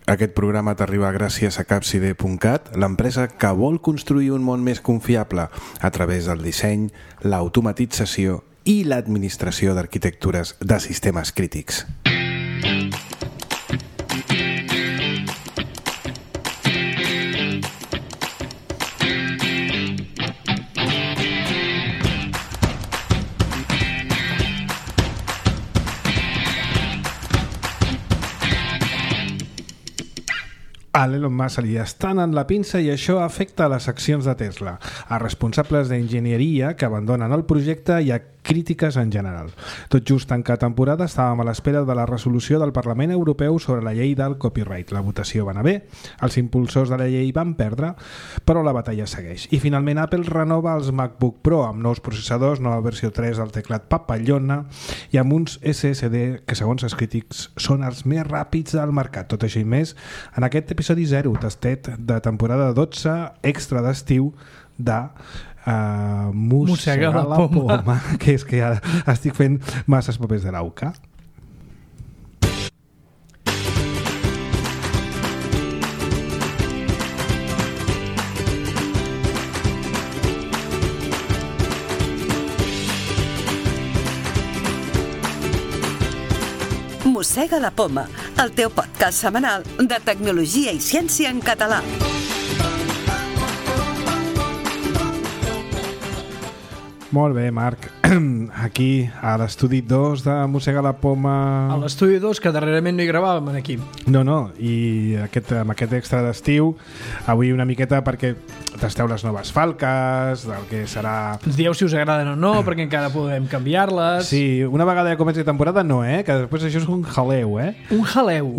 Aquest programa t'arriba gràcies a Capside.cat, l'empresa que vol construir un món més confiable a través del disseny, l'automatització i l'administració d'arquitectures de sistemes crítics. A l'Elon Musk li estan en la pinça i això afecta a les accions de Tesla, a responsables d'enginyeria que abandonen el projecte i a crítiques en general. Tot just tancar temporada estàvem a l'espera de la resolució del Parlament Europeu sobre la llei del copyright. La votació va anar bé, els impulsors de la llei van perdre, però la batalla segueix. I finalment Apple renova els MacBook Pro amb nous processadors, nova versió 3 del teclat Papallona i amb uns SSD que segons els crítics són els més ràpids del mercat. Tot això i més en aquest episodi 0, tastet de temporada 12 extra d'estiu de Mossegar la poma, que és que ja estic fent masses papers de l'AUCA. Mossega la poma, el teu podcast setmanal de tecnologia i ciència en català. Molt bé, Marc. Aquí, a l'estudi 2 de Mossega la poma... A l'estudi 2, que darrerament no hi gravàvem aquí. No, i amb aquest extra d'estiu, avui una miqueta perquè tasteu les noves falques, del que serà... Ens dieu si us agraden o no, perquè encara podem canviar-les. Sí, una vegada ja comenci temporada no, que després això és un jaleu, Un jaleu.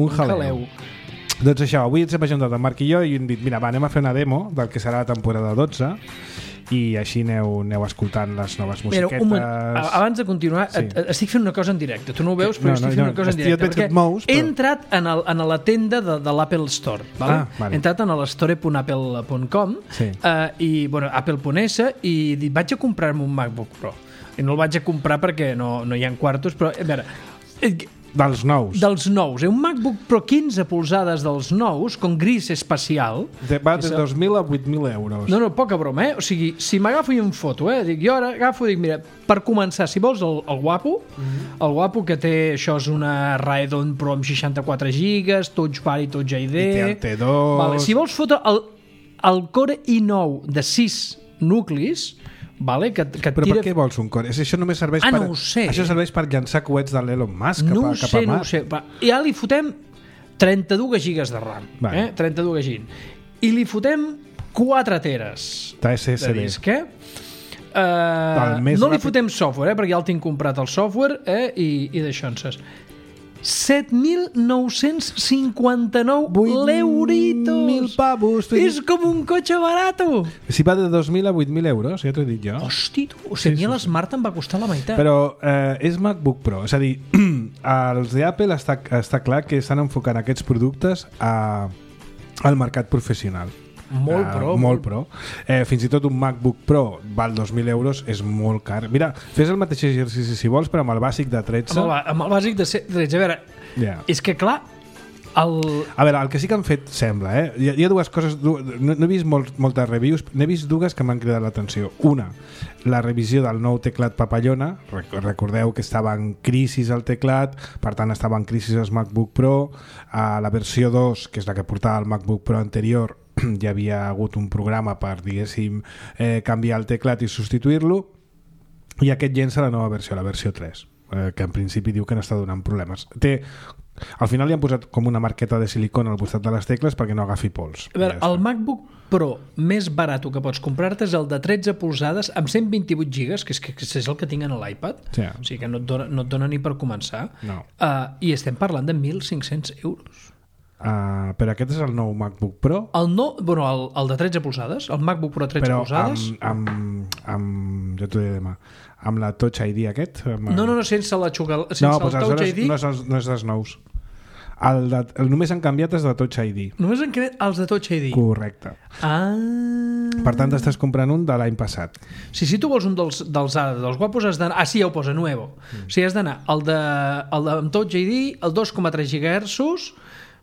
Doncs això, avui ens hem ajuntat el Marc i jo i hem dit, mira, anem a fer una demo del que serà la temporada 12 i així aneu escoltant les noves musiquetes. Mira, abans de continuar, sí. Estic fent una cosa en directe. Tu no ho veus, però estic fent una cosa en directe. Perquè he entrat en la tenda de l'Apple Store. Vale? He entrat en l'store.apple.com i Apple.es i dic, vaig a comprar-me un MacBook Pro. I no el vaig a comprar perquè no hi ha quartos, però a veure... Dels nous. Un MacBook Pro 15 polzades dels nous, con gris espacial. Va de 2.000 a 8.000 euros. No, poca broma, O sigui, si m'agafo i em foto, jo ara agafo i dic, mira, per començar, si vols el guapo, el guapo que té, això és una Radeon Pro amb 64 gigas, Touch Bar i Touch ID. I té el T2. Vale, si vols fotre el Core i9 de 6 nuclis, vale, que però tira... per què vols un core? Això només serveix no ho sé. Això serveix per llançar coets de l'Elon Musk cap a Mars. No ho sé. Ja li fotem 32 gigas de RAM. 32 gigas. I li fotem 4 teres de disc. No li fotem software, perquè ja el tinc comprat el software i d'això en ses. 7.959 l'euritos. 1.000 pavos. És com un cotxe barato. Si va de 2.000 a 8.000 euros, ja t'ho he dit jo. Hosti, tu, o sigui, a l'Smart em va costar la meitat. Però és MacBook Pro, és a dir, els d'Apple està clar que estan enfocant aquests productes al mercat professional. Molt pro. Fins i tot un MacBook Pro val 2.000 euros, és molt car. Mira, fes el mateix exercici si vols, però amb el bàsic de 13. Amb el bàsic de 13, a veure, és que clar... A veure, el que sí que han fet sembla, hi ha dues coses, no he vist moltes reviews, n'he vist dues que m'han cridat l'atenció. Una, la revisió del nou teclat Papallona. Recordeu que estava en crisi el teclat, per tant estava en crisi el MacBook Pro. A la versió 2, que és la que portava el MacBook Pro anterior, hi havia hagut un programa per, diguéssim, canviar el teclat i substituir-lo, i aquest llença la nova versió, la versió 3, que en principi diu que no està donant problemes. Al final li han posat com una marqueta de silicona al costat de les tecles perquè no agafi pols. A veure, el MacBook Pro més barat que pots comprar-te és el de 13 polzades amb 128 gigas, que és el que tinc en l'iPad. Sí. O sigui que no et dona ni per començar. No. I estem parlant de 1.500 euros. Però aquest és el nou MacBook Pro? El de 13 polzades, el MacBook Pro 13 polzades. Però jo t'ho diré demà, amb la Touch ID aquest? No, sense el Touch ID. No és dels nous. Només han canviat els de Touch ID. Només han canviat els de Touch ID? Correcte. Per tant, t'estàs comprant un de l'any passat. Si tu vols un dels guapos has d'anar... sí, ja ho posa, nuevo. O sigui, has d'anar el de Touch ID, el 2,3 GHz,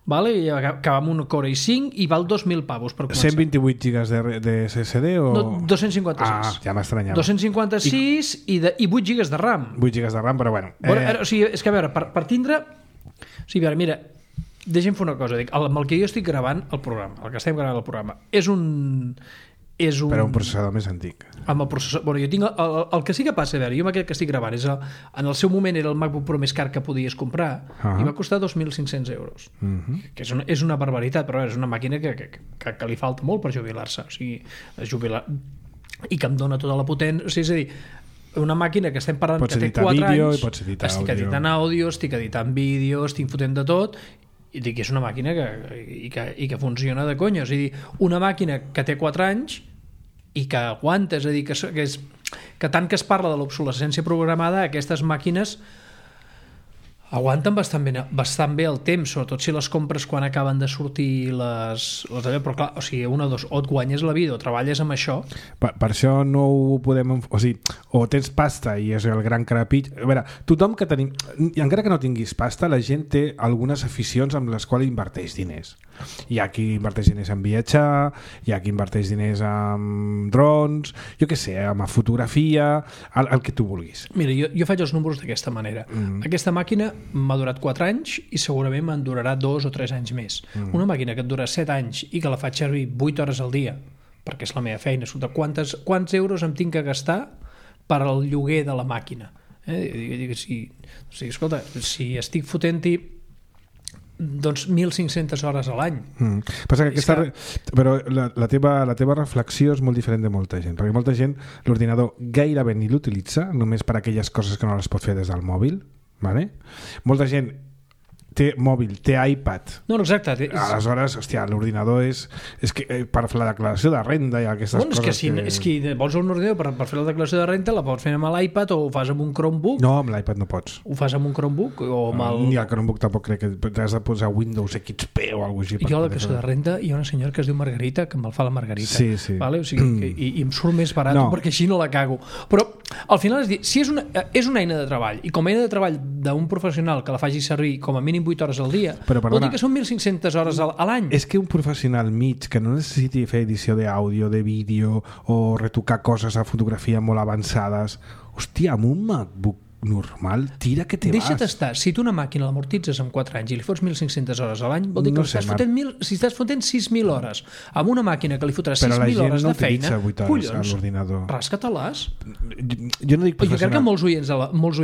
vale? I acaba amb un Core i5 i val 2.000 pavos per començar. 128 gigas de SSD o... No, 256. Ja m'estranyava. 256 i 8 gigas de RAM. 8 gigas de RAM, però bueno. O sigui, és que a veure, per tindre... O sigui, a veure, mira, deixa'm fer una cosa. Amb el que jo estic gravant el programa, el que estem gravant el programa, és un... Però un processador més antic. Amb el processador... Bueno, jo tinc... El que sí que passa, a veure, jo amb aquest que estic gravant és en el seu moment era el MacBook Pro més car que podies comprar i va costar 2.500 euros. Que és una barbaritat, però és una màquina que li falta molt per jubilar-se. O sigui, jubilar... I que em dona tota la potència... O sigui, és a dir, una màquina que estem parlant que té 4 anys... Pots editar estic editant àudio, estic editant vídeo, estic fotent de tot... I dic que és una màquina que funciona de conya. O sigui, una màquina que té 4 anys i que aguanta, és a dir, que tant que es parla de l'obsolescència programada, aquestes màquines aguanten bastant bé el temps, sobretot si les compres quan acaben de sortir però clar, o sigui, una o dos, o et guanyes la vida o treballes amb això. Per això no ho podem... O sigui, o tens pasta i és el gran crepit... A veure, tothom que tenim... I encara que no tinguis pasta, la gent té algunes aficions amb les quals inverteix diners. Hi ha qui inverteix diners en viatjar, hi ha qui inverteix diners en drons, jo què sé, en fotografia, el que tu vulguis. Mira, jo faig els números d'aquesta manera. Aquesta màquina m'ha durat 4 anys i segurament me'n durarà 2 o 3 anys més. Una màquina que et dura 7 anys i que la faig servir 8 hores al dia, perquè és la meva feina, quants euros em tinc que gastar per al lloguer de la màquina? Escolta, si estic fotent-hi doncs 1.500 hores a l'any. Passa que però la teva reflexió és molt diferent de molta gent, perquè molta gent l'ordinador gairebé ni l'utilitza, només per aquelles coses que no les pot fer des del mòbil, vale? Molta gent té mòbil, té iPad. No, exacte. Aleshores, hòstia, l'ordinador és que per fer la declaració de renda i aquestes coses... És que vols un ordinador per fer la declaració de renda la pots fer amb l'iPad o ho fas amb un Chromebook. No, amb l'iPad no pots. Ho fas amb un Chromebook o amb Ni el Chromebook tampoc crec que has de posar Windows XP o alguna cosa així. Jo a la declaració de renda hi ha una senyora que es diu Margarita que me'l fa la Margarita. Sí. Vale? O sigui, i em surt més barat perquè així no la cago. Però al final és dir, si és una eina de treball i com a eina de treball d'un professional que la faci servir com a mínim 8 hores al dia, vol dir que són 1.500 hores a l'any. És que un professional mig que no necessiti fer edició d'àudio, de vídeo o retocar coses a fotografia molt avançades, hòstia, amb un MacBook normal, tira que te vas. Deixa't estar, si tu una màquina l'amortitzes en 4 anys i li fots 1.500 hores a l'any, vol dir que si estàs fotent 6.000 hores amb una màquina que li fotràs 6.000 hores de feina, collons, rasca-te-les. Jo no dic professional. Jo crec que molts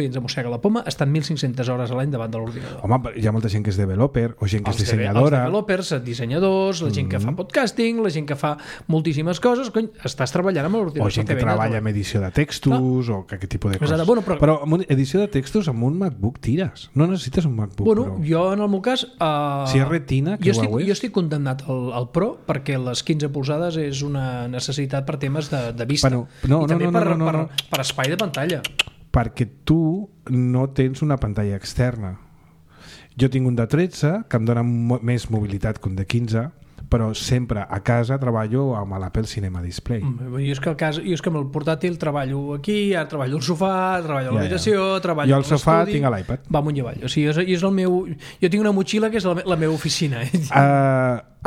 oients de Mossega la Poma estan 1.500 hores a l'any davant de l'ordinador. Home, hi ha molta gent que és developer o gent que és dissenyadora. Els developers, dissenyadors, la gent que fa podcasting, la gent que fa moltíssimes coses, cony, estàs treballant amb l'ordinador. O gent que treballa amb edició de textos o aquest tipus de coses. Però edició de textos amb un MacBook tires. No necessites un MacBook Pro. Jo en el meu cas... si és retina, que jo estic condemnat al Pro perquè les 15 polzades és una necessitat per temes de vista. I també per espai de pantalla. Perquè tu no tens una pantalla externa. Jo tinc un de 13 que em dona més mobilitat que un de 15, però sempre a casa treballo amb l'Apple Cinema Display. Jo és que amb el portàtil treballo aquí, ara treballo al sofà, treballo a l'habitació, treballo al l'estudi. Jo al sofà tinc l'iPad. Va amunt i avall. O sigui, és el meu... Jo tinc una motxilla que és la meva oficina.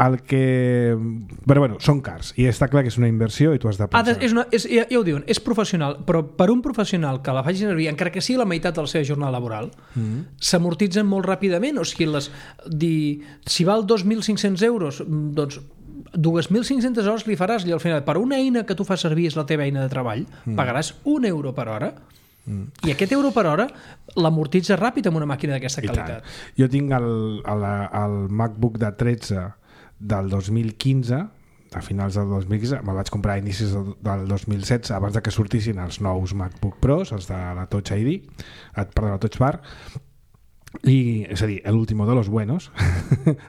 Però bueno, són cars i està clar que és una inversió i tu has de pensar. Ja ho diuen, és professional, però per un professional que la faci servir, encara que sigui la meitat de la seva jornada laboral, s'amortitzen molt ràpidament. O sigui, si val 2.500 euros, doncs 2.500 hores li faràs i al final, per una eina que tu fas servir és la teva eina de treball, pagaràs €1 per hora. I aquest euro per hora l'amortitza ràpid amb una màquina d'aquesta qualitat. Jo tinc el MacBook de 13 del 2015, a finals del 2015, me'l vaig comprar a inicis del 2016, abans de que sortissin els nous MacBook Pros, els de la Touch ID, perdó, la Touch Bar, i, és a dir, l'último de los buenos,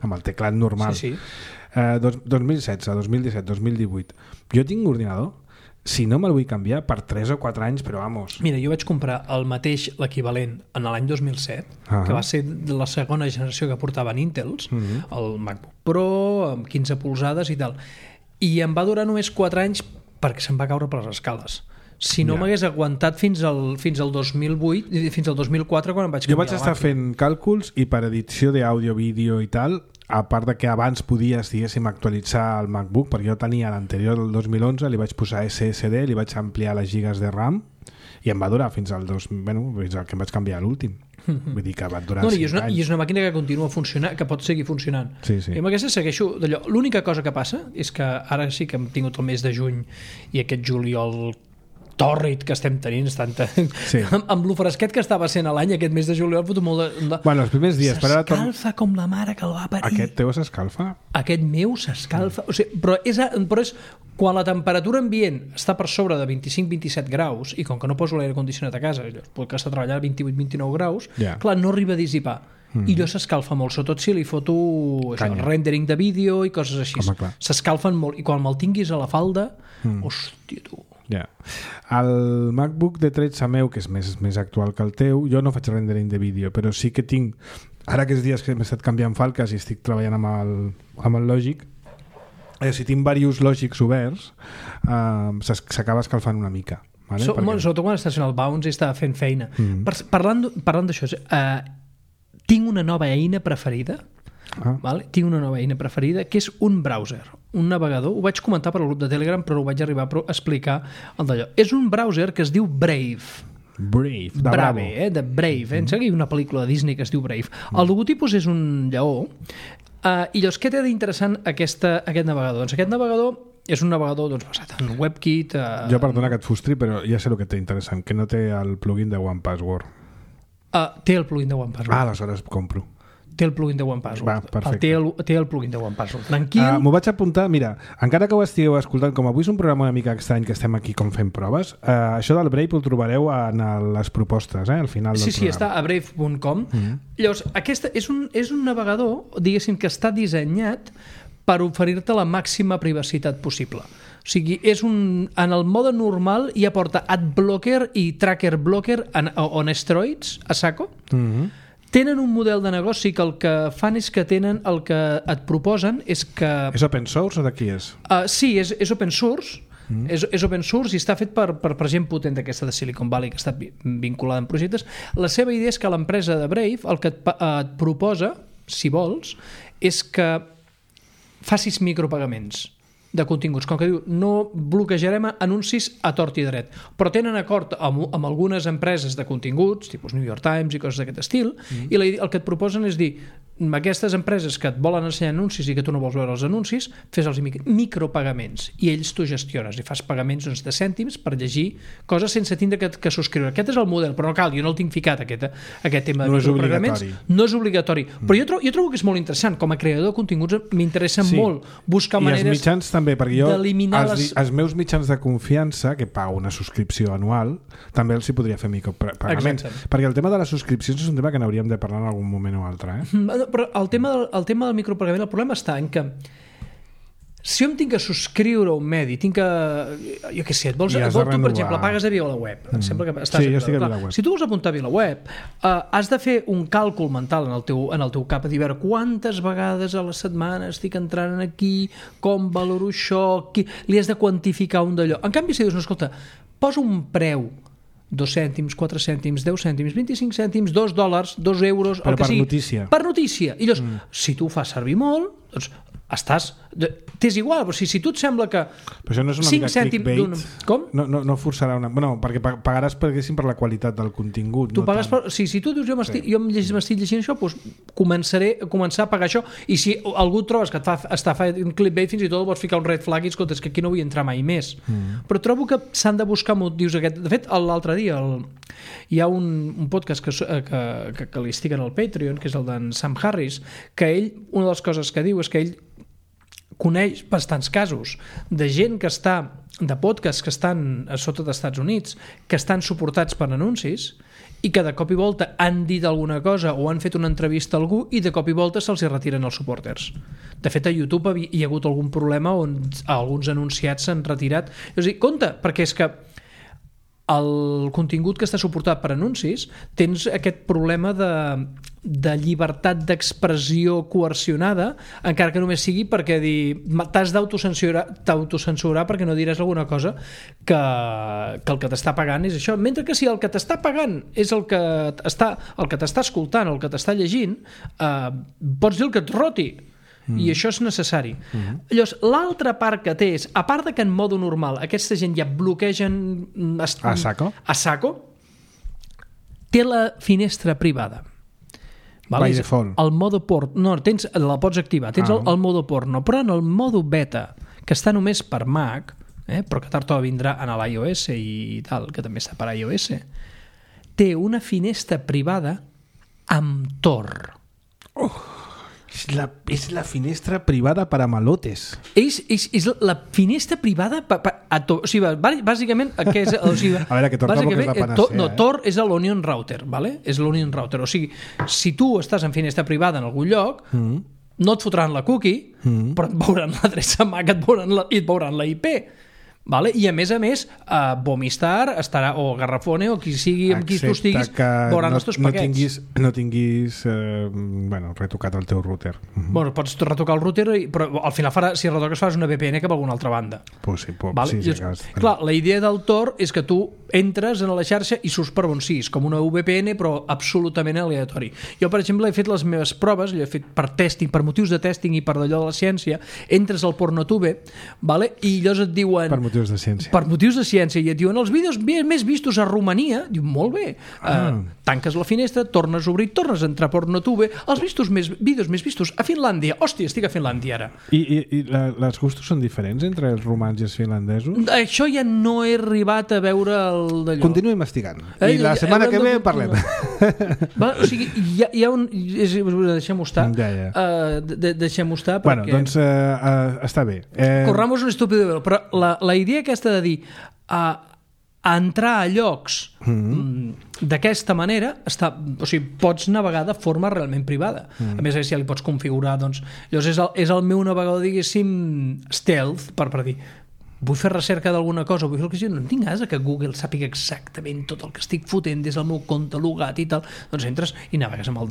amb el teclat normal. 2016, 2017, 2018. Jo tinc un ordinador, si no me'l vull canviar, per 3 o 4 anys, però vamos. Mira, jo vaig comprar el mateix, l'equivalent, en l'any 2007, que va ser la segona generació que portaven Intels, el MacBook Pro, amb 15 polzades i tal. I em va durar només 4 anys perquè se'm va caure per les escales. Si no m'hagués aguantat fins al 2008, fins al 2004, quan em vaig canviar. Jo vaig estar fent càlculs i per edició d'àudio, vídeo i tal, a part de que abans podies, diguéssim, actualitzar el MacBook, perquè jo tenia l'anterior del 2011, li vaig posar SSD, li vaig ampliar les gigas de RAM i em va durar fins al que em vaig canviar a l'últim. Vull dir que va durar 5 anys. I és una màquina que continua funcionant, que pot seguir funcionant. Sí. I amb aquesta segueixo d'allò. L'única cosa que passa és que ara sí que hem tingut el mes de juny i aquest juliol tòrrid que estem tenint amb lo fresquet que estava sent a l'any aquest mes de juliol foto molt de... Bueno, els primers dies s'escalfa com la mare que el va parir. Aquest teu s'escalfa? Aquest meu s'escalfa, o sigui, però és quan la temperatura ambient està per sobre de 25-27 graus i com que no poso l'aire condicionat a casa puc estar treballant a 28-29 graus clar, no arriba a dissipar i allò s'escalfa molt, sobretot si li foto rendering de vídeo i coses així. S'escalfen molt i quan me'l tinguis a la falda hòstia tu. El MacBook de 13 meu, que és més actual que el teu, jo no faig rendering de vídeo, però sí que tinc, ara aquests dies que m'he estat canviant falques i estic treballant amb el Logic, si tinc diversos Logics oberts s'acaba escalfant una mica, vale? Sobretot quan estàs fent el bounce i està fent feina. Parlant d'això, tinc una nova eina preferida. Vale? Tinc una nova eina preferida que és un browser, un navegador. Ho vaig comentar per al grup de Telegram però ho vaig arribar a explicar d'allò. És un browser que es diu Brave, de Brave, de Brave. Em sembla que hi ha una pel·lícula de Disney que es diu Brave. El logotipus és un lleó i llavors què té d'interessant aquest navegador? Doncs aquest navegador és un navegador basat en WebKit. Jo perdona que et frustri però ja sé el que té interessant, que no té el plugin de OnePassword. Té el plugin de OnePassword. Aleshores compro. Té el plugin de OnePassword. Té el plugin de OnePassword. Tranquil. M'ho vaig apuntar, mira, encara que ho estigueu escoltant, com avui és un programa una mica estrany que estem aquí com fent proves, això del Brave ho trobareu en les propostes, al final del programa. Sí, està a brave.com. Llavors, aquesta és un navegador, diguéssim, que està dissenyat per oferir-te la màxima privacitat possible. O sigui, en el mode normal ja porta AdBlocker i Tracker Blocker on steroids, a saco. Tenen un model de negoci que el que fan és que tenen el que et proposen és que... És open source o de qui és? Sí, és open source. És open source i està fet per gent potent d'aquesta de Silicon Valley que està vinculada en projectes. La seva idea és que l'empresa de Brave el que et proposa, si vols, és que facis micropagaments de continguts, com que diu no bloquejarem anuncis a tort i dret, però tenen acord amb algunes empreses de continguts, tipus New York Times i coses d'aquest estil, i el que et proposen és dir aquestes empreses que et volen ensenyar anuncis i que tu no vols veure els anuncis, fes-els micropagaments i ells tu gestiones i fas pagaments de cèntims per llegir coses sense tindre que subscriure. Aquest és el model, però no cal, jo no el tinc ficat aquest tema de micropagaments. No és obligatori. Però jo trobo que és molt interessant. Com a creador de continguts m'interessa molt buscar maneres i els mitjans també, perquè jo els meus mitjans de confiança, que pago una subscripció anual, també els hi podria fer micropagaments. Perquè el tema de les subscripcions és un tema que n'hauríem de parlar en algun moment o altre. Però el tema del micropagament, el problema està en que si jo em tinc que subscriure a un medi, tinc que... Jo què sé, tu, per exemple, pagues a VilaWeb. Sembla que estàs jo estic a VilaWeb. Si tu vols apuntar a VilaWeb, has de fer un càlcul mental en el teu cap, a dir, quantes vegades a la setmana estic entrant aquí, com valoro això, li has de quantificar un d'allò. En canvi, si dius, no, escolta, posa un preu 2 cèntims, 4 cèntims, 10 cèntims, 25 cèntims, $2, 2 euros, el que sigui. Notícia. Per notícia. I llavors, si tu ho fas servir molt, doncs t'és igual, però si tu et sembla que però això no és una mica clickbait? Com? No forçarà una... Bueno, perquè pagaràs per la qualitat del contingut. Tu pagues si tu dius jo m'estic llegint això, doncs començar a pagar això, i si algú trobes que està fent clickbait, fins i tot vols ficar un red flag i escolta, és que aquí no vull entrar mai més. Però trobo que s'han de buscar motius aquest. De fet, l'altre dia hi ha un podcast que li estic en el Patreon, que és el d'en Sam Harris, que ell, una de les coses que diu és que ell coneix bastants casos de gent que està, de podcasts que estan a sota dels Estats Units, que estan suportats per anuncis i que de cop i volta han dit alguna cosa o han fet una entrevista a algú i de cop i volta se'ls retiren els supporters. De fet, a YouTube hi ha hagut algun problema on alguns anunciats s'han retirat. És a dir, compte, perquè és que el contingut que està suportat per anuncis tens aquest problema de llibertat d'expressió coercionada, encara que només sigui perquè t'has d'autocensurar perquè no diràs alguna cosa que el que t'està pagant és això, mentre que si el que t'està pagant és el que t'està escoltant o el que t'està llegint, pots dir el que et roti. i això és necessari. Llavors, l'altra part que té és, a part de que en modo normal aquesta gent ja bloquegen a saco, té la finestra privada. By default. El modo porno, no, la pots activar, tens el modo porno, però en el modo beta, que està només per Mac, però que tard o vindrà en l'iOS i tal, que també està per iOS, té una finestra privada amb Tor. És la finestra privada per a malotes. És la finestra privada o sigui, bàsicament a veure, que Tor tampoc és la panacea. No, Tor és l'Onion Router, ¿vale? És l'Onion Router. O sigui, si tu estàs en finestra privada en algun lloc, no et fotran la cookie, però et veuran l'adreça MAC i et veuran la IP. Vale? I a més, Vomistar estarà, o Garrafone, o qui sigui amb qui tu estiguis, veuran els teus paquets. No tinguis retocat el teu router. Bueno, pots retocar el router, però al final si retoques fas una VPN cap a alguna altra banda. Vale? Clar, la idea del Tor és que tu entres en la xarxa i surts per on siguis, com una VPN, però absolutament aleatori. Jo, per exemple, he fet les meves proves, l'he fet per testing, per motius de testing i per d'allò de la ciència, entres al Pornotube, vale? I llavors et diuen... Per motius de ciència. I et diuen els vídeos més vistos a Romania. Diu, molt bé. Tanques la finestra, tornes a obrir, tornes a entrar a Pornotube. Els vídeos més vistos a Finlàndia. Hòstia, estic a Finlàndia ara. I els gustos són diferents entre els romans i els finlandesos? Això ja no he arribat a veure el d'allò. Continuo investigant. I la setmana que ve parlem. O sigui, hi ha un... Deixem-ho estar. Deixem-ho estar perquè... Bueno, doncs està bé. Corramos un estúpido, però la idea aquesta de dir a entrar a llocs d'aquesta manera, o sigui, pots navegar de forma realment privada. A més, si ja li pots configurar, doncs, llavors és el meu navegador, diguéssim, stealth, per dir, vull fer recerca d'alguna cosa, vull fer el que sigui, no tinc ganes que Google sàpiga exactament tot el que estic fotent des del meu compte logat i tal, doncs entres i navegues amb el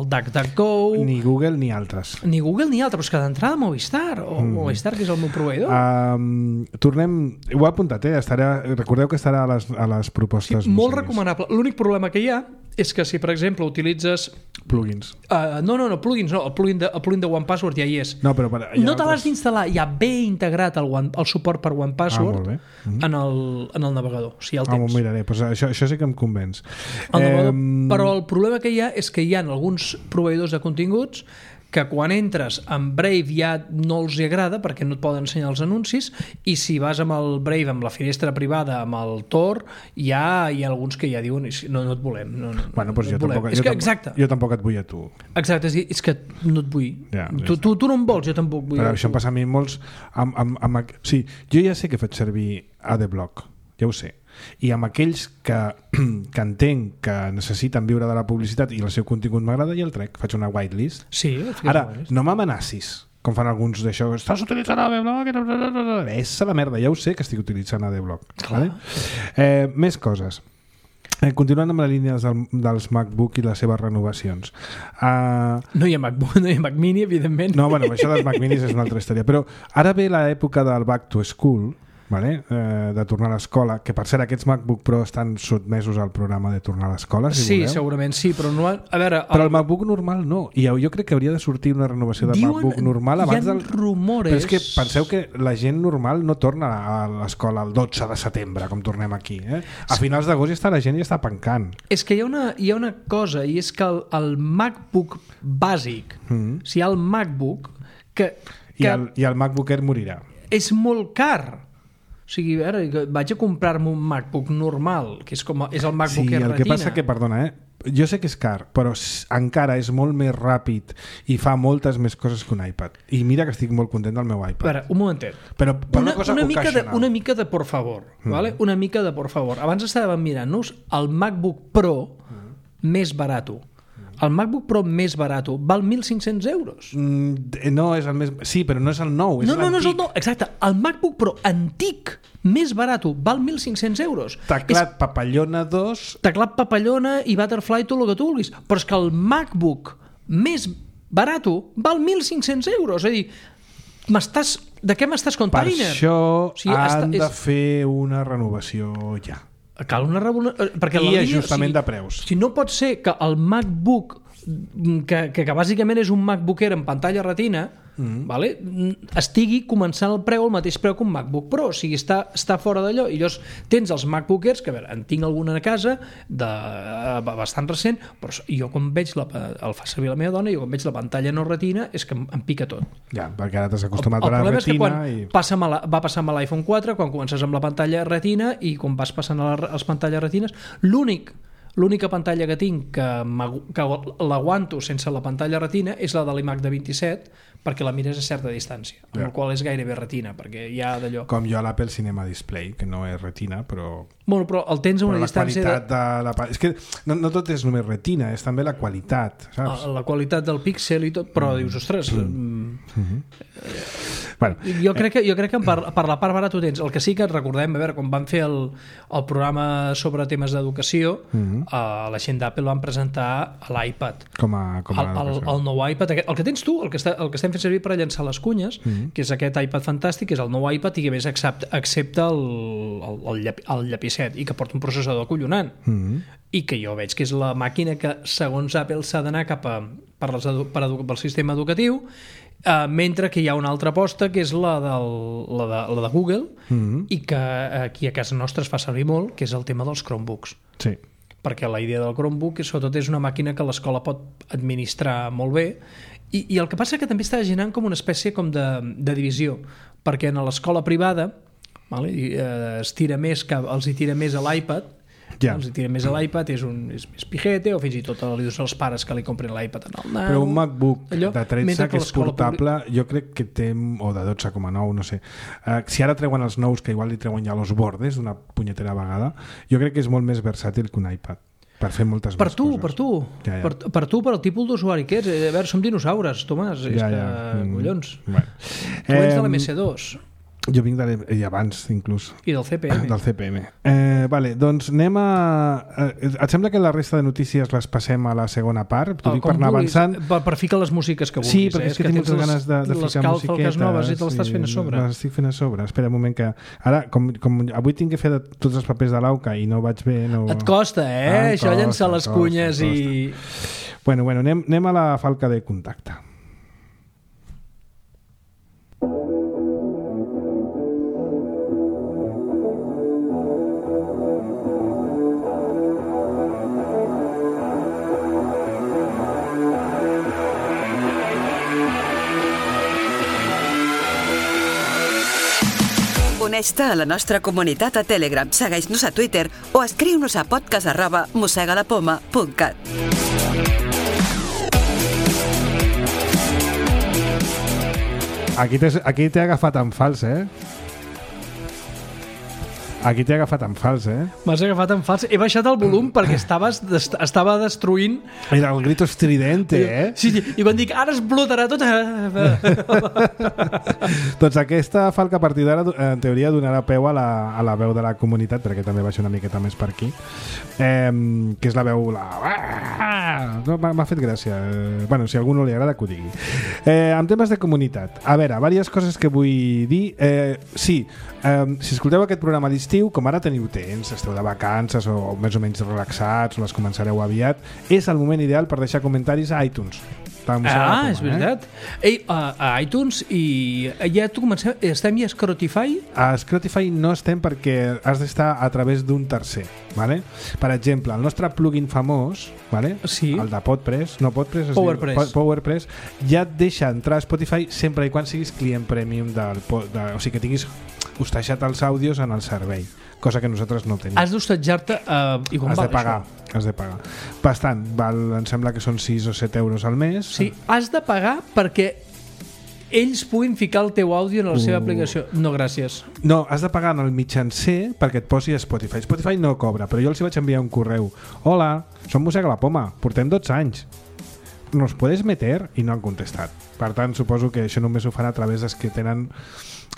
DuckDuckGo. Ni Google ni altres. Ni Google ni altres, però és que d'entrada Movistar, o Movistar, que és el meu proveïdor. Tornem, ho he apuntat, recordeu que estarà a les propostes. Sí, molt recomanable. L'únic problema que hi ha és que si, per exemple, utilitzes... Plugins. No, plugins no, el plugin de OnePassword ja hi és. No, però no te l'has d'instal·lar, ja ve integrat el suport per OnePassword en el navegador, si ja el tens. M'ho miraré, pues això sí que em convenç. Però el problema que hi ha és que hi ha alguns proveïdors de continguts que quan entres amb Brave ja no els agrada perquè no et poden ensenyar els anuncis, i si vas amb el Brave, amb la finestra privada, amb el Tor, hi ha alguns que ja diuen no et volem. Bueno, doncs jo tampoc et vull a tu. Exacte, és que no et vull. Tu no em vols, jo tampoc vull. Però això em passa a mi molts... Sí, jo ja sé que he fet servir AdBlock, ja ho sé. I amb aquells que entenc que necessiten viure de la publicitat i el seu contingut m'agrada, i el trec, faig una whitelist. Sí, ara, no m'amenacis com fan alguns d'això, estàs utilitzant AdBlock, és la merda, ja ho sé que estic utilitzant AdBlock, vale? Més coses. Continuant amb la línia dels MacBook i les seves renovacions. No hi ha Mac Mini, evidentment. No, bueno, això dels Mac Minis és una altra història, però ara ve l'època del Back to School, de tornar a l'escola, que per cert aquests MacBook Pro estan sotmesos al programa de tornar a l'escola, si voleu. Segurament sí, però no, a veure... Però el MacBook normal no, i jo crec que hauria de sortir una renovació del MacBook normal abans del... rumores... Però és que penseu que la gent normal no torna a l'escola el 12 de setembre, com tornem aquí. A finals d'agost la gent ja està pencant. És que hi ha una cosa, i és que el MacBook bàsic, si hi ha el MacBook... I el MacBook Air morirà. És molt car. O sigui, vaig a comprar-me un MacBook normal, que és el MacBook Air Retina. Sí, el que passa que, perdona, jo sé que és car, però encara és molt més ràpid i fa moltes més coses que un iPad. I mira que estic molt content del meu iPad. A veure, un momentet. Però una mica de por favor. Vale? Una mica de por favor. Abans estàvem mirant-nos el MacBook Pro més barat. El MacBook Pro més barat val 1.500 euros. No és el més... Sí, però no és el nou, és l'antic. No és el nou, exacte. El MacBook Pro antic més barat val 1.500 euros. Teclat Papallona 2... Teclat Papallona i Butterfly, tot el que tu vulguis. Però és que el MacBook més barat val 1.500 euros. És a dir, de què m'estàs contant? Per això han de fer una renovació ja. Cal una perquè i ajustament de preus. Si no pot ser que el MacBook que bàsicament és un MacBook Air en pantalla retina, vale? Estigui començant el preu al mateix preu que un MacBook Pro, o sigui, està fora d'allò. I llavors tens els MacBook Airs, que a veure, en tinc alguna a casa bastant recent, però jo quan veig el fa servir la meva dona, jo quan veig la pantalla no retina és que em pica tot. Ja, perquè ara t'has acostumat a la retina. El problema és que va passar amb l'iPhone 4, quan comences amb la pantalla retina i quan vas passant a les pantalles retines, l'única pantalla que tinc que l'aguanto sense la pantalla retina és la de l'iMac de 27, perquè la mires a certa distància, amb el qual és gairebé retina, perquè hi ha d'allò... Com jo a l'Apple Cinema Display, que no és retina, però... Bueno, però el tens a una distància... És que no tot és només retina, és també la qualitat, saps? La qualitat del píxel i tot, però dius, ostres... Bueno, jo crec que per la part barata ho tens. El que sí que recordem, a veure, quan van fer el programa sobre temes d'educació, la gent d'Apple van presentar l'iPad. El nou iPad, el que tens tu, el que estem fent servir per llançar les cunyes, que és aquest iPad fantàstic, que és el nou iPad i que a més accepta el llapicet i que porta un processador acollonant. I que jo veig que és la màquina que, segons Apple, s'ha d'anar cap pel sistema educatiu, mentre que hi ha una altra aposta que és la de Google i que aquí a casa nostra es fa servir molt, que és el tema dels Chromebooks. Sí. Perquè la idea del Chromebook sobretot és una màquina que l'escola pot administrar molt bé i el que passa que també està generant com una espècie com de divisió, perquè en l'escola privada els tira més a l'iPad. Els tira més a l'iPad, és més pijete, o fins i tot li dius als pares que li comprin l'iPad en el nano. Però un MacBook de 13 que és portable, jo crec que té, o de 12,9, no sé. Si ara treuen els nous, que igual li treuen ja los bordes d'una punyetera vegada, jo crec que és molt més versàtil que un iPad per fer moltes més coses. Per tu, per el tipus d'usuari que ets. A veure, som dinosaures, Tomàs, és que collons. Tu ets de l'MS2. Jo vinc abans, inclús. I del CPM. Del CPM. Vale, doncs anem a... Et sembla que la resta de notícies les passem a la segona part? T'ho dic per anar avançant. Per ficar les músiques que vulguis. Sí, perquè és que tinc moltes ganes de ficar musiquetes. Les calfalques noves i te les estàs fent a sobre. Les estic fent a sobre. Espera un moment que... Ara, com avui tinc que fer tots els papers de l'AUCA i no vaig bé... Et costa, això llençar les cunyes i... Bueno, anem a la falca de contacte. Uneix-te a la nostra comunitat a Telegram, segueix-nos a Twitter o escriu-nos a podcast@mossegalapoma.cat. Aquí t'he agafat en fals, Aquí t'he agafat en fals, M'has agafat en fals. He baixat el volum perquè estava destruint... Era el grito estridente, Sí, i quan dic, ara explotarà tot... Doncs aquesta falca a partir d'ara, en teoria, donarà peu a la veu de la comunitat, perquè també baixa una miqueta més per aquí, que és la veu... No, m'ha fet gràcia. Bueno, si a algú no li agrada, que ho digui. En temes de comunitat, a veure, diverses coses que vull dir. Si escolteu aquest programa a l'estiu, com ara teniu temps, esteu de vacances o més o menys relaxats, o les començareu aviat, és el moment ideal per deixar comentaris a iTunes. És veritat. A iTunes i ja estem ja a Spotify? A Spotify no estem perquè has d'estar a través d'un tercer, vale? Per exemple, el nostre plugin famós, vale? Sí. El de PowerPress, PowerPress, ja et deixa entrar a Spotify sempre i quan siguis client premium o sigui que tinguis hostatjat els àudios en el servei, cosa que nosaltres no tenim. Has d'hostatjar-te i com val això? Has de pagar. Bastant, em sembla que són 6 o 7 euros al mes. Sí, has de pagar perquè ells puguin ficar el teu àudio en la seva aplicació. No, gràcies. No, has de pagar en el mitjancer perquè et posi a Spotify. Spotify no cobra, però jo els vaig enviar un correu. Hola, som Mossega la Poma, portem 12 anys. ¿Nos puedes meter? I no han contestat. Per tant, suposo que això només ho fan a través dels que tenen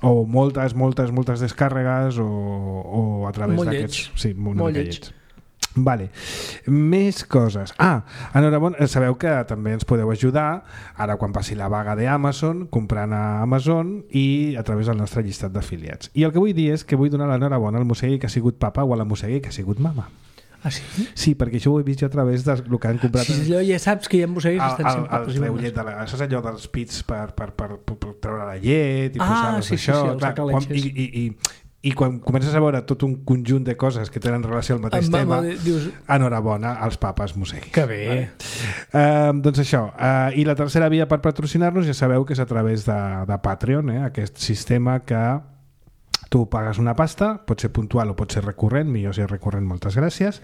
o moltes descàrregues o a través d'aquests... Sí, molt lleig. Vale. Més coses. Enhorabona, sabeu que també ens podeu ajudar ara quan passi la vaga d'Amazon, comprant a Amazon i a través del nostre llistat d'afiliats. I el que vull dir és que vull donar l'enhorabona al mossegui que ha sigut papa o a la mossegui que ha sigut mama. Ah, sí? Sí, perquè això ho he vist jo a través del que han comprat. Sí, allò ja saps que hi ha embosseguis que estan sempre possibles. Això és allò dels pits per treure la llet i posar-los això. I quan comences a veure tot un conjunt de coses que tenen relació al mateix tema, dius... enhorabona als papes mosseguis. Que bé. Doncs això. I la tercera via per patrocinar-nos ja sabeu que és a través de Patreon, aquest sistema que tu pagues una pasta, pot ser puntual o pot ser recurrent, millor si és recurrent, moltes gràcies,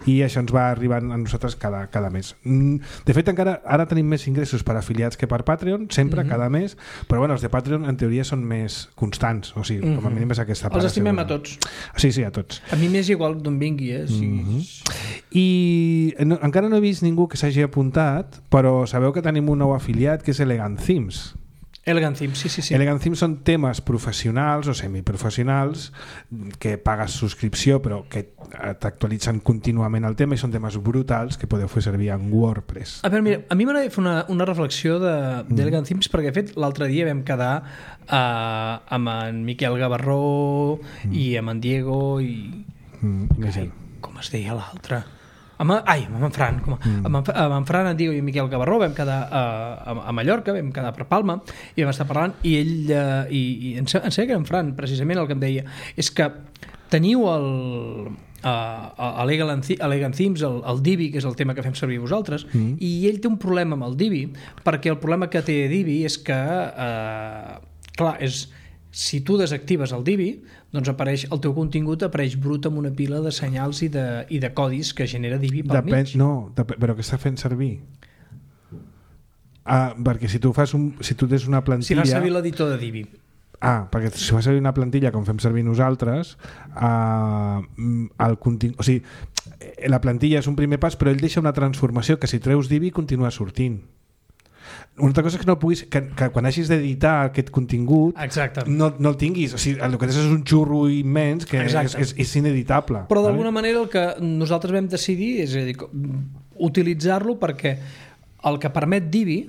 i això ens va arribant a nosaltres cada mes. De fet, encara ara tenim més ingressos per afiliats que per Patreon, sempre, cada mes, però bueno, els de Patreon en teoria són més constants, o sigui, com a mínim és aquesta part. Els estimem a tots. Sí, a tots. A mi m'és igual d'on vingui, I encara no he vist ningú que s'hagi apuntat, però sabeu que tenim un nou afiliat que és Elegant Themes. Elegant Themes, sí. Elegant Themes són temes professionals o semiprofessionals que pagues subscripció però que t'actualitzen contínuament el tema i són temes brutals que podeu fer servir en WordPress. A veure, mira, a mi m'agrada fer una reflexió d'Elegant Themes perquè de fet l'altre dia vam quedar amb en Miquel Gavarró i amb en Diego i... com es deia l'altre? amb en Fran, amb en Fran, en Diego i en Miquel Gavarró vam quedar a Mallorca, vam quedar per Palma i vam estar parlant i ell i em sembla que en Fran precisament el que em deia és que teniu Elegant Themes, el Divi, que és el tema que fem servir vosaltres, i ell té un problema amb el Divi perquè el problema que té Divi és que clar, si tu desactives el Divi, doncs el teu contingut apareix brut amb una pila de senyals i de codis que genera Divi pel mig. Però què està fent servir? Perquè si tu tens una plantilla... Si fas servir l'editor de Divi. Perquè si fas servir una plantilla com fem servir nosaltres, el contingut... O sigui, la plantilla és un primer pas, però ell deixa una transformació que si treus Divi continua sortint. Una altra cosa és que no puguis que quan hagis d'editar aquest contingut no el tinguis, o sigui, el que és un xurro immens que és ineditable. Però d'alguna manera el que nosaltres vam decidir és utilitzar-lo perquè el que permet Divi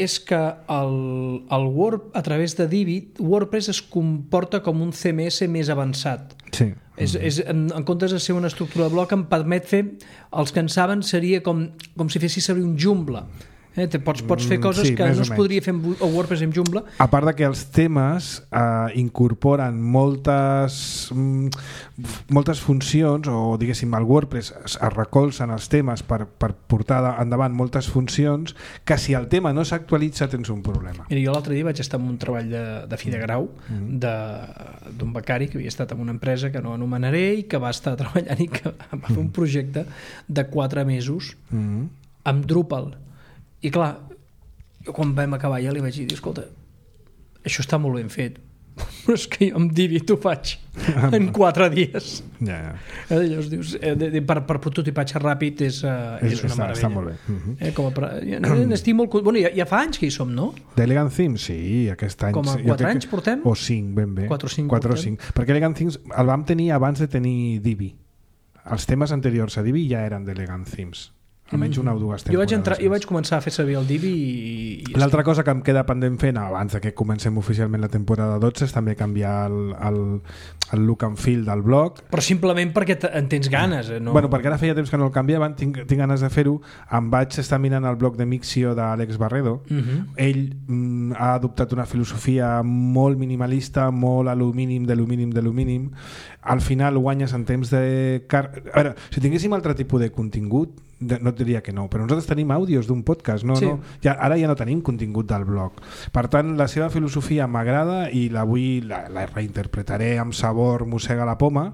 és que a través de Divi WordPress es comporta com un CMS més avançat. Sí. En comptes de ser una estructura de bloc em permet fer, els que en saben seria com si fessis servir un Joomla. Pots fer coses que no es podria fer a WordPress amb Joomla. A part de que els temes incorporen moltes funcions, o diguéssim el WordPress es recolzen els temes per portar endavant moltes funcions que si el tema no s'actualitza tens un problema. Mira, jo l'altre dia vaig estar en un treball de fi de grau d'un becari que havia estat en una empresa que no anomenaré i que va estar treballant i que va fer un projecte de 4 mesos amb Drupal. I clar, quan vam acabar ja li vaig dir, escolta, això està molt ben fet, però és que jo amb Divi t'ho faig en 4 dies. Llavors dius, per prototipatge ràpid és una meravella. Està molt bé. N'estic molt... Bueno, ja fa anys que hi som, no? D'Elegant Themes, sí, aquest any. Com a 4 anys portem? O 5, ben bé. 4 o 5. Perquè Elegant Themes el vam tenir abans de tenir Divi. Els temes anteriors a Divi ja eren d'Elegant Themes. Almenys una o dues temporades. Jo vaig començar a fer servir el Divi i... L'altra cosa que em queda pendent fent abans que comencem oficialment la temporada 12 és també canviar el look and feel del blog. Però simplement perquè en tens ganes. No? Bueno, perquè ara feia temps que no el canviaven, tinc ganes de fer-ho. Em vaig estar mirant el blog de Mixio d'Àlex Barredo. Ell ha adoptat una filosofia molt minimalista, molt a lo mínim de lo mínim de lo mínim. Al final guanyes en temps de... A veure, si tinguéssim altre tipus de contingut, no et diria que no, però nosaltres tenim àudios d'un podcast, ara ja no tenim contingut del blog. Per tant, la seva filosofia m'agrada i la reinterpretaré amb sabor, mossega la poma,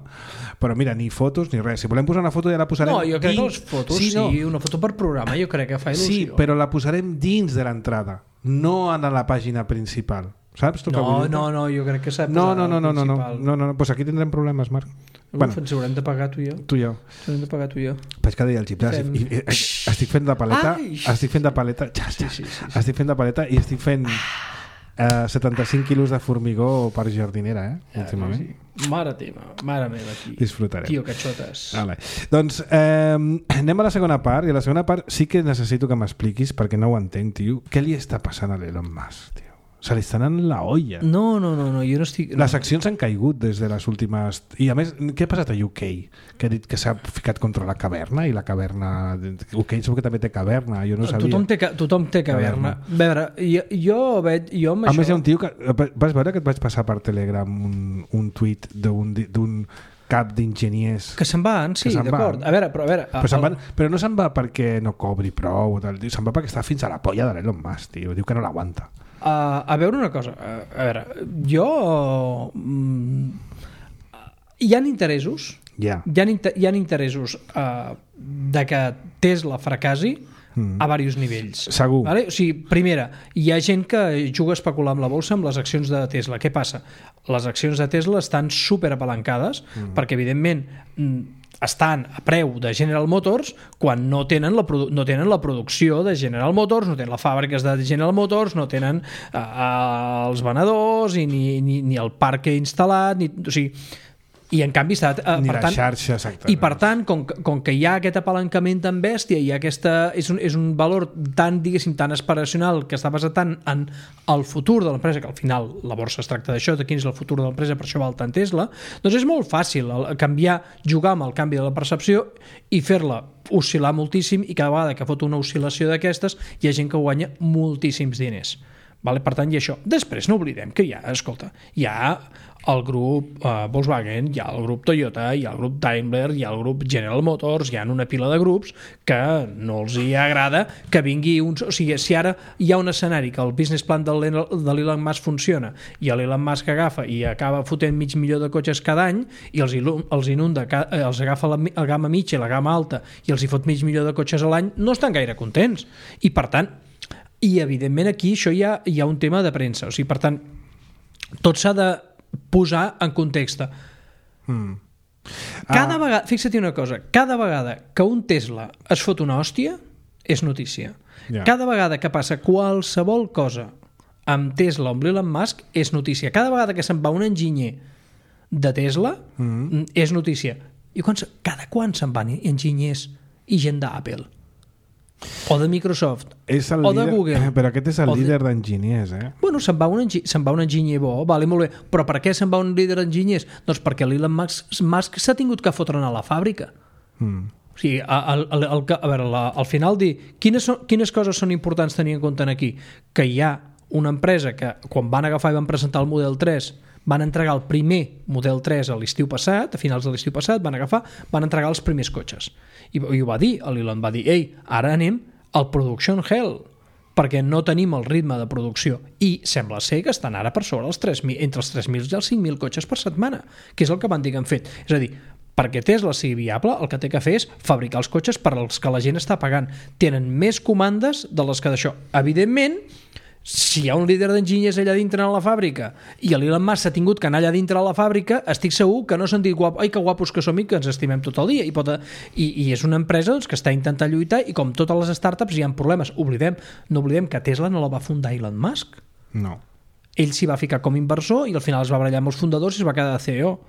però mira, ni fotos ni res. Si volem posar una foto ja la posarem... No, jo crec que les fotos, una foto per programa, jo crec que fa il·lusió. Sí, però la posarem dins de l'entrada, no en la pàgina principal. Saps? No, jo crec que s'ha de posar principal. No, pues aquí tindrem problemes, Marc. Ens haurem de pagar tu i jo. Tu i jo. Haurem de pagar tu i jo. Vaig cada dia al gimnàs i estic fent de paleta. Estic fent de paleta. Estic fent de paleta i estic fent 75 quilos de formigó per jardinera, últimament. Mare meva, aquí. Disfrutarem. Tio, catxotes. Vale. Doncs anem a la segona part, i a la segona part sí que necessito que m'expliquis, perquè no ho entenc, tio. Què li està passant a l'Elon Musk, tio? Se li estan en la olla. No, jo no estic... Les accions han caigut des de les últimes... I a més, què ha passat a UK? Que ha dit que s'ha ficat contra la caverna i la caverna... UK segur que també té caverna, jo no sabia. Tothom té caverna. A veure, jo amb això... A més, hi ha un tio que... Vas veure que et vaig passar per Telegram un tuit d'un cap d'enginyers... Que se'n van, sí, d'acord. A veure... Però no se'n va perquè no cobri prou, se'n va perquè està fins a la polla de l'Elon Musk, tio. Diu que no l'aguanta. A veure una cosa, a veure, jo... Hi ha interessos, hi ha interessos de que Tesla fracassi a diversos nivells. Segur. Vale? O sigui, primera, hi ha gent que juga a especular amb la bolsa amb les accions de Tesla. Què passa? Les accions de Tesla estan superapalancades perquè, evidentment, estan a preu de General Motors quan no tenen la producció de General Motors, no tenen les fàbriques de General Motors, no tenen els venedors ni el parc instal·lat, o sigui, i en canvi està... Ni la xarxa, exacte. I per tant, com que hi ha aquest apalancament tan bèstia i és un valor tan, diguéssim, tan aspiracional que està basat tant en el futur de l'empresa, que al final la borsa es tracta d'això, de quin és el futur de l'empresa, per això val tant Tesla, doncs és molt fàcil jugar amb el canvi de la percepció i fer-la oscil·lar moltíssim, i cada vegada que fot una oscil·lació d'aquestes hi ha gent que guanya moltíssims diners. Vale? Per tant, i això. Després no oblidem que hi ha el grup Volkswagen, hi ha el grup Toyota, hi ha el grup Daimler, hi ha el grup General Motors, hi ha una pila de grups que no els hi agrada que vingui uns... O sigui, si ara hi ha un escenari que el business plan de l'Elon Musk funciona i l'Elon Musk agafa i acaba fotent 500.000 de cotxes cada any i els inunda, els agafa la gamma mitja i la gamma alta i els hi fot 500.000 de cotxes a l'any, no estan gaire contents. I per tant, evidentment aquí això hi ha un tema de premsa. O sigui, per tant, tot s'ha de posar en context. Cada vegada, fixa't una cosa, cada vegada que un Tesla es fot una hòstia és notícia. Cada vegada que passa qualsevol cosa amb Tesla o amb Elon Musk és notícia. Cada vegada que se'n va un enginyer de Tesla és notícia. I cada quan se'n van enginyers i gent d'Apple o de Microsoft o de Google? Però aquest és el líder d'enginyers, Bueno, se'n va un enginyer bo, vale, molt bé, però per què se'n va un líder d'enginyers? Doncs perquè l'Elon Musk s'ha tingut que fotre a la fàbrica. O sigui, a veure, al final dir quines coses són importants tenir en compte aquí? Que hi ha una empresa que quan van agafar i van presentar el Model 3 van entregar el primer Model 3 a l'estiu passat, a finals de l'estiu passat, van entregar els primers cotxes. I ho va dir, l'Elon va dir, ara anem al production hell, perquè no tenim el ritme de producció. I sembla ser que estan ara per sobre entre els 3.000 i els 5.000 cotxes per setmana, que és el que van dir que han fet. És a dir, perquè Tesla sigui viable, el que té que fer és fabricar els cotxes per als que la gent està pagant. Tenen més comandes de les que d'això. Evidentment, si hi ha un líder d'enginyers allà dintre a la fàbrica i l'Elon Musk s'ha tingut que anar allà dintre a la fàbrica, estic segur que no s'han dit ai, que guapos que som i que ens estimem tot el dia. I és una empresa que està intentant lluitar i com totes les startups hi ha problemes. No oblidem que Tesla no la va fundar Elon Musk. No. Ell s'hi va ficar com a inversor i al final es va barallar amb els fundadors i es va quedar de CEO.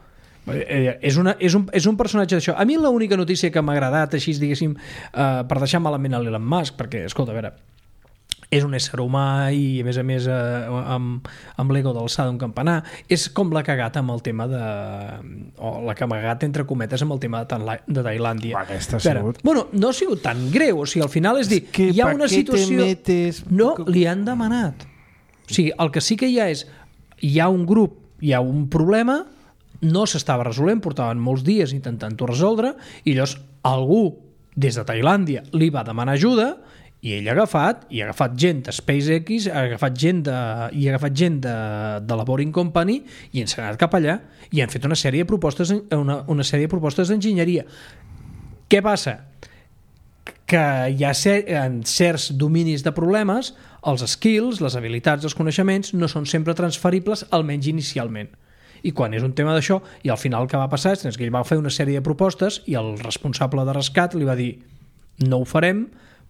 És un personatge d'això. A mi l'única notícia que m'ha agradat així, diguéssim, per deixar malament a l'Elon Musk, perquè, escolta, a veure, és un ésser humà i a més amb l'ego d'alçada d'un campanar, és com l'ha cagat amb el tema la que m'ha cagat entre cometes amb el tema de Tailàndia. Bueno, no ha sigut tan greu, o sigui, al final és dir, hi ha una situació... No, li han demanat. O sigui, el que sí que hi ha és, hi ha un grup, hi ha un problema, no s'estava resolent, portaven molts dies intentant-ho resoldre, i llavors algú des de Tailàndia li va demanar ajuda i ell ha agafat gent de SpaceX, ha agafat gent de la Boring Company i ens ha anat cap allà i han fet una sèrie de propostes d'enginyeria. Què passa? Que hi ha en certs dominis de problemes, els skills, les habilitats, els coneixements no són sempre transferibles, almenys inicialment. I quan és un tema d'això, i al final el que va passar és que ell va fer una sèrie de propostes i el responsable de rescat li va dir no ho farem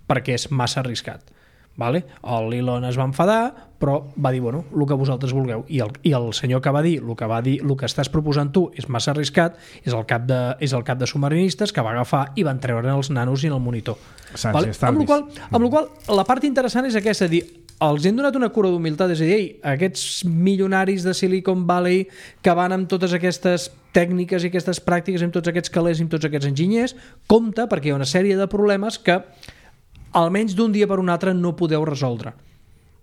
perquè és massa arriscat. Vale? L'Elon es va enfadar, però va dir, bueno, el que vosaltres vulgueu. I el senyor que va dir, el que estàs proposant tu és massa arriscat, és el cap de submarinistes que va agafar i van treure els nanos i en el monitor. Vale? Amb la qual la part interessant és aquesta, dir, els hem donat una cura d'humilitat, és a dir, aquests milionaris de Silicon Valley que van amb totes aquestes tècniques i aquestes pràctiques, amb tots aquests calés i amb tots aquests enginyers, compte, perquè hi ha una sèrie de problemes que almenys d'un dia per un altre no podeu resoldre.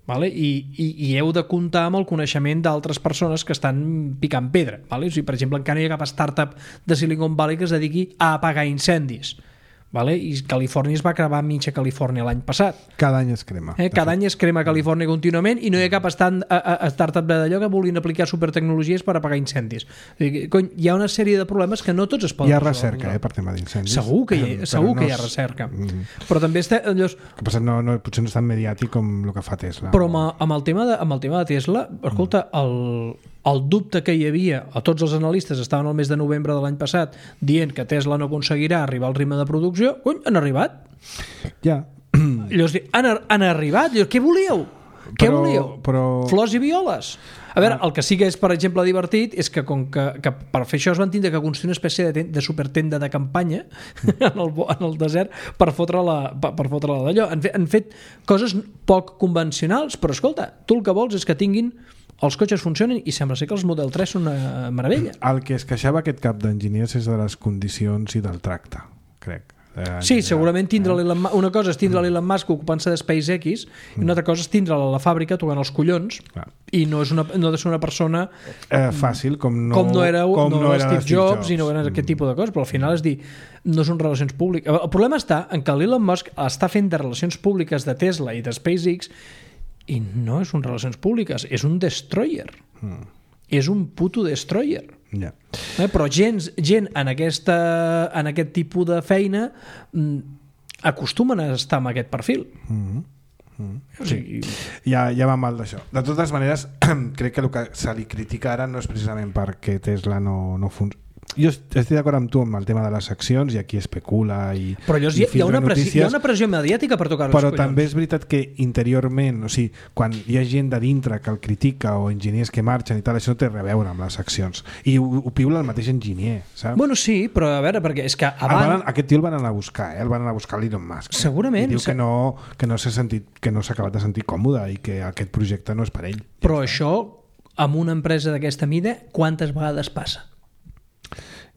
Vale? I heu de comptar amb el coneixement d'altres persones que estan picant pedra. Vale? O sigui, per exemple, encara no hi ha cap startup de Silicon Valley que es dediqui a apagar incendis. Vale? I Califòrnia es va cremar mitja Califòrnia l'any passat. Cada any es crema. Cada any es crema a Califòrnia contínuament i no hi ha cap startup d'allò que vulguin aplicar supertecnologies per apagar incendis. Hi ha una sèrie de problemes que no tots es poden resoldre. Hi ha recerca per tema d'incendis. Segur que hi ha recerca. Però també allò... El que passa potser no és tan mediàtic com el que fa Tesla. Però amb el tema de Tesla, escolta, el dubte que hi havia, a tots els analistes estaven al mes de novembre de l'any passat dient que Tesla no aconseguirà arribar al ritme de producció, han arribat. Ja. Llavors, han arribat. Llavors, què volíeu? Què volíeu? Flors i violes? A veure, el que sí que és, per exemple, divertit és que com que per fer això es van tindre que construir una espècie de supertenda de campanya en el desert per fotre-la d'allò. Han fet coses poc convencionals, però escolta, tu el que vols és que tinguin els cotxes funcionen i sembla ser que els Model 3 són una meravella. El que es queixava aquest cap d'enginyers és de les condicions i del tracte, crec. Sí, segurament una cosa és tindre l'Elon Musk ocupant-se de SpaceX i una altra cosa és tindre'l a la fàbrica tocant els collons i no ha de ser una persona fàcil com no era Steve Jobs i no era aquest tipus de coses, però al final és dir, no són relacions públiques. El problema està en que l'Elon Musk està fent de relacions públiques de Tesla i de SpaceX i no és un relacions públiques, és un destroyer. És un puto destroyer. Però gent en aquest tipus de feina acostumen a estar amb aquest perfil. O sigui, ja va mal d'això. De totes maneres, crec que el que se li critica ara no és precisament perquè Tesla no funciona. Jo estic d'acord amb tu amb el tema de les accions i aquí especula però hi ha una pressió mediàtica per tocar els però collons. També és veritat que interiorment, o sigui, quan hi ha gent de dintre que el critica o enginyers que marxen i tal, això no té res a veure amb les accions i ho piula el mateix enginyer, saps? Bueno, sí, però a veure, perquè és que aquest tio el van anar a buscar, el van anar a buscar l'Elon Musk. Segurament. I diu que no s'ha acabat de sentir còmode i que aquest projecte no és per ell. Però això, amb una empresa d'aquesta mida, quantes vegades passa?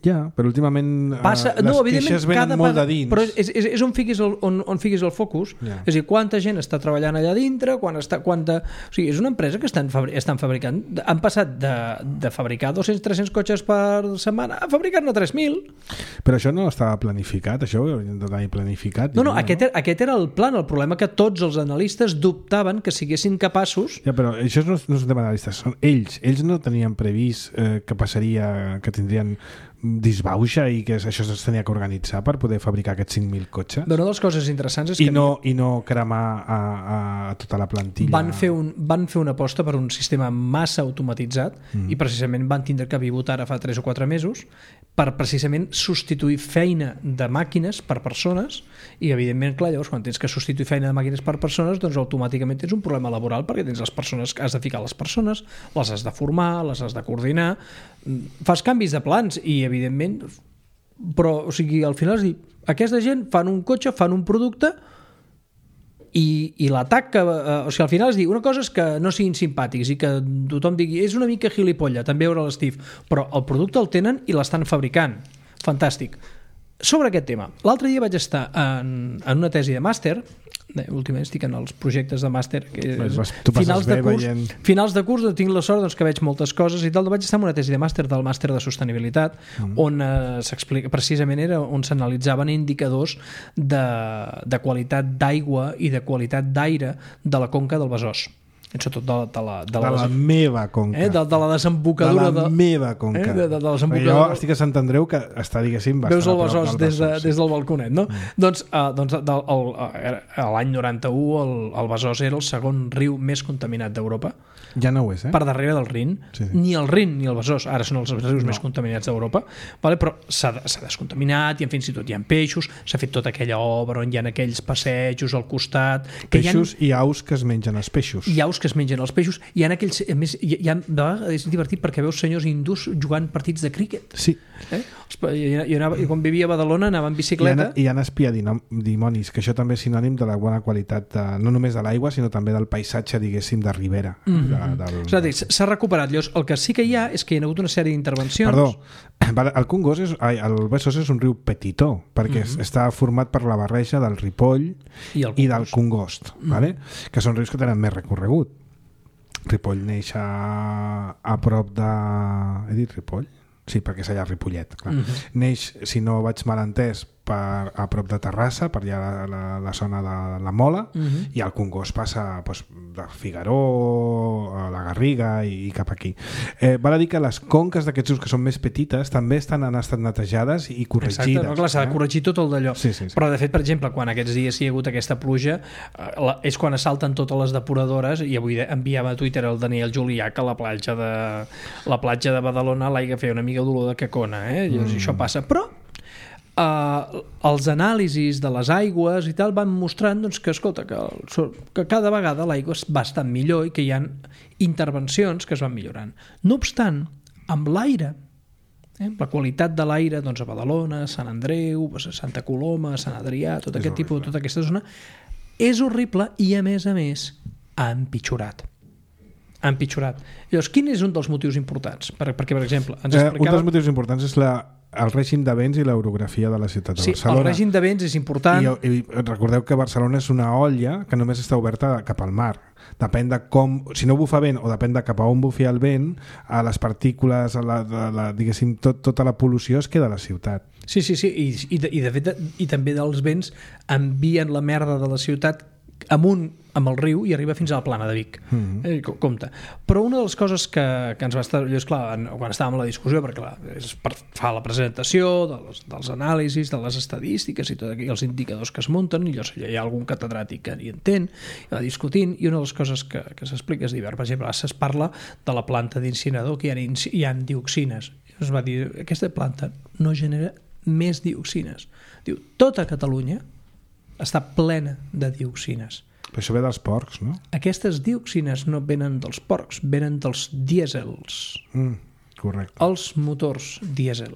Ja, però últimament les queixes venen molt de dins. Però és on fiquis el focus. És a dir, quanta gent està treballant allà dintre, o sigui, és una empresa que estan fabricant. Han passat de fabricar 200-300 cotxes per setmana a fabricar-ne 3.000. Però això no estava planificat, això ho haurien de tenir planificat. No, aquest era el plan. El problema que tots els analistes dubtaven que siguessin capaços... Ja, però això no és un tema d'analistes, són ells. Ells no tenien previst que passaria, que tindrien disbauxa i que això es tenia que organitzar per poder fabricar aquests 5.000 cotxes. Una de les coses interessants és que... I no cremar a tota la plantilla. Van fer una aposta per un sistema massa automatitzat i precisament van tindre que pivotar ara fa 3 o 4 mesos per precisament substituir feina de màquines per persones i evidentment, clar, llavors quan tens que substituir feina de màquines per persones, doncs automàticament tens un problema laboral perquè tens les persones que has de ficar les persones, les has de formar, les has de coordinar, fas canvis de plans i evidentment, però o sigui, al final és dir, aquesta gent fan un cotxe, fan un producte i l'atac que, o sigui, al final es diu, una cosa és que no siguin simpàtics i que tothom digui, és una mica gilipolla, també veure l'Steve, però el producte el tenen i l'estan fabricant. Fantàstic. Sobre aquest tema, l'altre dia vaig estar en una tesi de màster, últimament estic en els projectes de màster finals de curs tinc la sort que veig moltes coses i tal, vaig estar en una tesi de màster del màster de sostenibilitat on s'explica, precisament era on s'analitzaven indicadors de qualitat d'aigua i de qualitat d'aire de la conca del Besòs, sobretot de la meva conca, de la desembocadura de la meva conca, de la desembocadura. Jo estic a Sant Andreu que està, diguéssim, veus el Besòs des del balconet, no? Doncs l'any 91 el Besòs era el segon riu més contaminat d'Europa. Ja no ho és, per darrere del Rin. Ni el Rin ni el Besòs ara són els rius més contaminats d'Europa, però s'ha descontaminat i fins i tot hi ha peixos, s'ha fet tota aquella obra on hi ha aquells passejos al costat, peixos i aus que es mengen els peixos, i aus que que es mengen els peixos. Hi ha aquells... A més, de vegades és divertit perquè veus senyors hindús jugant partits de críquet. Sí. Jo quan vivia a Badalona anava en bicicleta. Hi ha espiadimonis, que això també és sinònim de la bona qualitat, no només de l'aigua, sinó també del paisatge, diguéssim, de ribera. És a dir, s'ha recuperat. Llavors, el que sí que hi ha és que hi ha hagut una sèrie d'intervencions. Perdó, el Congost el Besòs és un riu petitó, perquè està format per la barreja del Ripoll i del Congost, vale? Que són rius que tenen més recorregut. Ripoll neix a prop de... He dit Ripoll? Sí, perquè és allà a Ripollet, clar. Neix, si no vaig mal entès, a prop de Terrassa, per allà la zona de la Mola, i el Congost passa de Figaró a la Garriga i cap aquí. Val a dir que les conques d'aquests rius que són més petites també han estat netejades i corregides. Exacte, clar, s'ha de corregir tot el d'allò. Sí. Però de fet, per exemple, quan aquests dies hi ha hagut aquesta pluja, és quan assalten totes les depuradores, i avui enviava a Twitter el Daniel Julià que a la platja de Badalona l'aigua feia una mica d'olor de cacona, llavors això passa. Però els anàlisis de les aigües i tal van mostrant que, escolta, que cada vegada l'aigua va estant millor i que hi ha intervencions que es van millorant. No obstant, amb l'aire, la qualitat de l'aire a Badalona, Sant Andreu, a Santa Coloma, Sant Adrià, tot aquest tipus, tota aquesta zona, és horrible i a més ha empitjorat. Llavors, quin és un dels motius importants? Perquè, per exemple, ens explicava... Un dels motius importants és el règim de vents i l'orografia de la ciutat de Barcelona. Sí, el règim de vents és important. I recordeu que Barcelona és una olla que només està oberta cap al mar. Depèn de com... Si no bufa vent o depèn de cap a on bufi el vent, a les partícules, diguéssim, tota la pol·lució es queda a la ciutat. Sí, de fet, i també dels vents envien la merda de la ciutat amunt amb el riu i arriba fins a la plana de Vic. Compte. Però una de les coses que ens va estar... És clar, quan estàvem a la discussió, perquè clar, és per fa la presentació dels anàlisis, de les estadístiques i tots els indicadors que es munten, i llavors hi ha algun catedràtic que hi entén, i va discutint, i una de les coses que s'explica és divers. Per exemple, es parla de la planta d'incinerador, que hi ha dioxines. Es va dir, aquesta planta no genera més dioxines. Diu, tota Catalunya està plena de dioxines. Però això ve dels porcs, no? Aquestes dioxines no venen dels porcs, venen dels dièsels. Correcte. Els motors dièsel.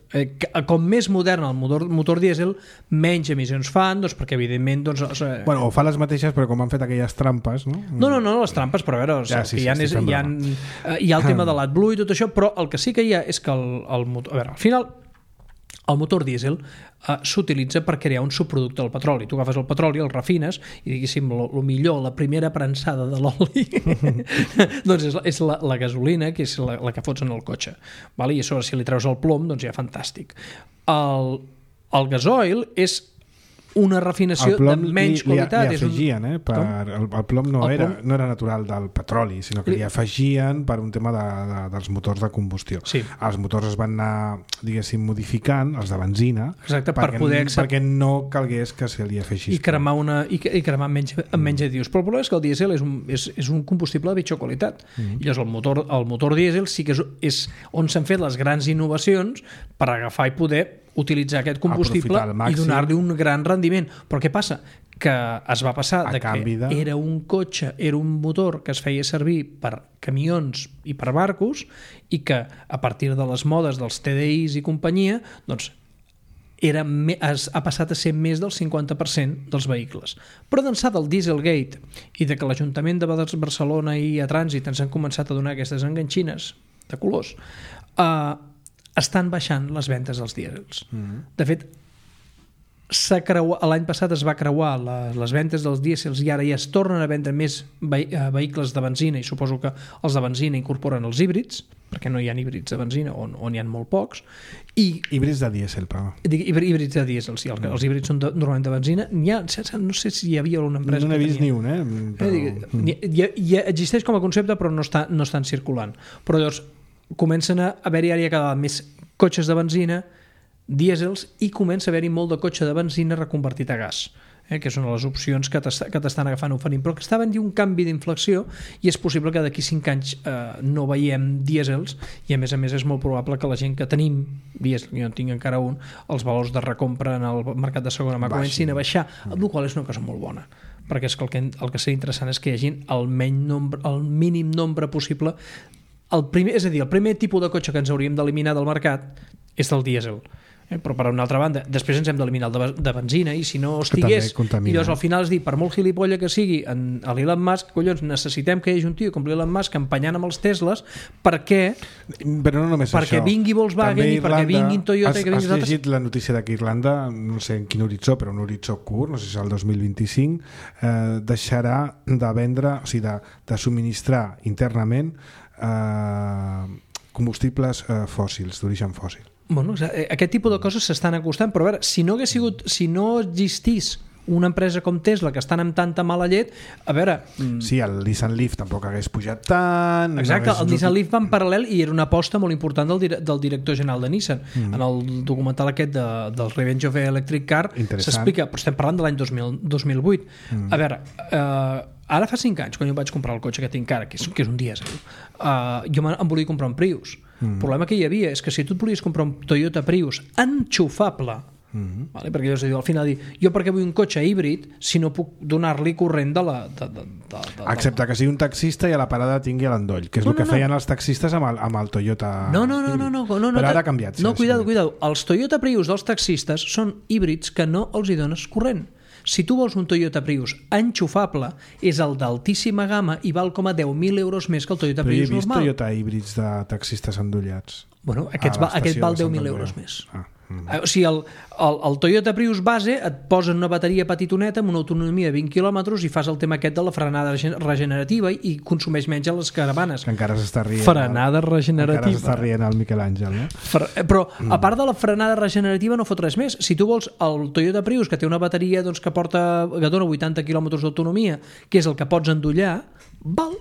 Com més modern el motor dièsel, menys emissions fan, perquè evidentment... o fa les mateixes, però com han fet aquelles trampes, no? No, les trampes, però a veure, hi ha el tema de l'AdBlue i tot això, però el que sí que hi ha és que el motor... A veure, al final, el motor dièsel s'utilitza per crear un subproducte del petroli. Tu agafes el petroli, el refines i, diguéssim, el millor, la primera prensada de l'oli doncs és la gasolina, que és la que fots en el cotxe, vale? I a sobre si li treus el plom, doncs ja fantàstic. El gasoil és una refinació de menys qualitat. Li afegien, el plom no era natural del petroli, sinó que li afegien per un tema dels motors de combustió. Sí. Els motors es van anar, diguéssim, modificant, els de benzina, exacte, perquè no calgués que se li afegís. I cremar amb menys addius. Però el problema és que el dièsel és un combustible de pitjor qualitat. I llavors el motor dièsel sí que és on s'han fet les grans innovacions per agafar i poder utilitzar aquest combustible i donar-li un gran rendiment. Però què passa? Que es va passar era un cotxe, era un motor que es feia servir per camions i per barcos, i que a partir de les modes dels TDIs i companyia, doncs ha passat a ser més del 50% dels vehicles. Però d'ençà del Dieselgate i de que l'Ajuntament de Barcelona i a Trànsit ens han començat a donar aquestes enganxines de colors, estan baixant les ventes dels dièsels. De fet, l'any passat es va creuar les ventes dels dièsels i ara ja es tornen a vendre més vehicles de benzina, i suposo que els de benzina incorporen els híbrids, perquè no hi ha híbrids de benzina on hi ha molt pocs. Híbrids de dièsel, però. Híbrids de dièsel, sí. Els híbrids són normalment de benzina. No sé si hi havia una empresa... No n'he vist ni un, Ja existeix com a concepte, però no estan circulant. Però llavors comencen a haver-hi ara cada vegada més cotxes de benzina, dièsels, i comença a haver-hi molt de cotxe de benzina reconvertit a gas, que són les opcions que t'estan agafant oferint, però que està havent-hi un canvi d'inflexió, i és possible que d'aquí 5 anys no veiem dièsels, i a més és molt probable que la gent que tenim dièsel, jo en tinc encara un, els valors de recompra en el mercat de segona mà comencin a baixar, el qual és una cosa molt bona, perquè és que el que seria interessant és que hi hagi el mínim nombre possible. És a dir, el primer tipus de cotxe que ens hauríem d'eliminar del mercat és del dièsel. Però per una altra banda, després ens hem d'eliminar el de benzina, i si no estigués, i llavors al final es dir, per molt gilipolla que sigui a l'Elon Musk, collons, necessitem que hi hagi un tio com l'Elon Musk empenyant amb els Tesles perquè vingui Volkswagen i perquè vinguin Toyota. Has llegit la notícia que Irlanda, no sé en quin horitzó, però un horitzó curt, no sé si és el 2025, deixarà de vendre, o sigui, de subministrar internament combustibles fòssils, d'origen fòssil. Bueno, aquest tipus de coses s'estan acostant, però a veure, si no existís una empresa com Tesla que estan amb tanta mala llet, a veure... Sí, el Nissan Leaf tampoc hagués pujat tant... Exacte, el Nissan Leaf va en paral·lel i era una aposta molt important del director general de Nissan. En el documental aquest del Revenge of Electric Car s'explica, però estem parlant de l'any 2008. A veure, ara fa 5 anys, quan jo vaig comprar el cotxe que tinc ara, que és un dièsel, jo em volia comprar un Prius. El problema que hi havia és que si tu et volies comprar un Toyota Prius enxufable, vale? Perquè al final jo per què vull un cotxe híbrid si no puc donar-li corrent excepte que sigui un taxista i a la parada tingui l'endoll, que és el que feien els taxistes amb el Toyota no, però ara ha canviat. No, cuidado, els Toyota Prius dels taxistes són híbrids que no els hi dones corrent. Si tu vols un Toyota Prius enxufable, és el d'altíssima gamma i val com a 10.000 euros més que el Toyota Prius normal. Però he vist Toyota híbrids de taxistes endollats. Bueno, aquest val 10.000 euros més. O sigui, el Toyota Prius base et posa una bateria petitoneta amb una autonomia de 20 quilòmetres i fas el tema aquest de la frenada regenerativa i consumeix menys a les caravanes. Que encara s'està rient. Frenada regenerativa. Encara s'està rient el Miquel Àngel, no? Però, a part de la frenada regenerativa, no fot res més. Si tu vols el Toyota Prius, que té una bateria que dona 80 quilòmetres d'autonomia, que és el que pots endollar, val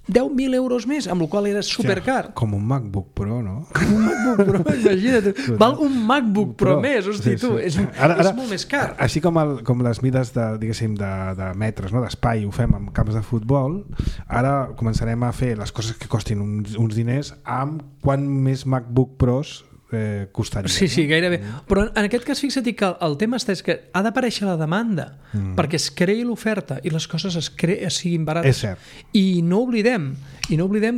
10.000 euros més, amb el qual era supercar. Com un MacBook Pro, no? Com un MacBook Pro, imagina't. Val un MacBook Pro més, hosti, tu. És molt més car. Així com les mides de metres, d'espai, ho fem amb camps de futbol, ara començarem a fer les coses que costin uns diners amb quant més MacBook Pros costaria. Sí, gairebé. Però en aquest cas, fixa't que el tema és que ha d'aparèixer la demanda perquè es creï l'oferta i les coses siguin barates. És cert. I no oblidem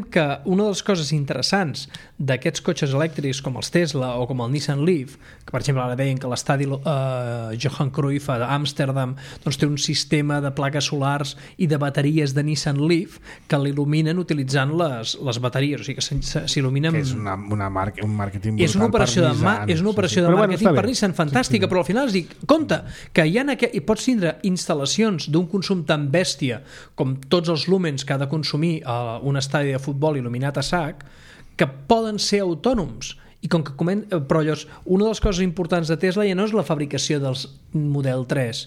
que una de les coses interessants d'aquests cotxes elèctrics com els Tesla o com el Nissan Leaf, que per exemple ara deien que l'estadi Johan Cruyff d'Amsterdam té un sistema de plaques solars i de bateries de Nissan Leaf que l'il·luminen utilitzant les bateries, o sigui que s'il·luminen... Que és un màrqueting brutal. És una operació de màrqueting per Nissan fantàstica, però al final es dic, compte, que hi pots tindre instal·lacions d'un consum tan bèstia com tots els lúmens que ha de consumir un estadi de futbol il·luminat a sac, que poden ser autònoms. I com que però llavors, una de les coses importants de Tesla ja no és la fabricació dels Model 3,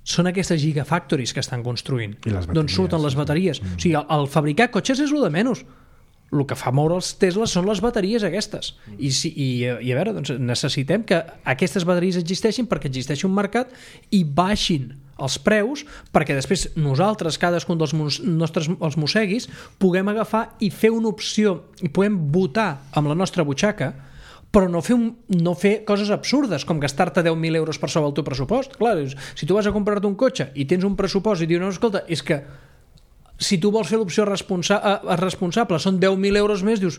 són aquestes gigafactories que estan construint, d'on surten les bateries. O sigui, el fabricar cotxes és el de menys. El que fa moure els Teslas són les bateries aquestes. I a veure, doncs necessitem que aquestes bateries existeixin perquè existeixi un mercat i baixin els preus perquè després nosaltres, cadascun dels nostres els mosseguis, puguem agafar i fer una opció i puguem votar amb la nostra butxaca, però no fer coses absurdes com gastar-te 10.000 euros per sobre el teu pressupost. Clar, si tu vas a comprar-te un cotxe i tens un pressupost i dius, no, escolta, és que si tu vols fer l'opció responsable són 10.000 euros més, dius,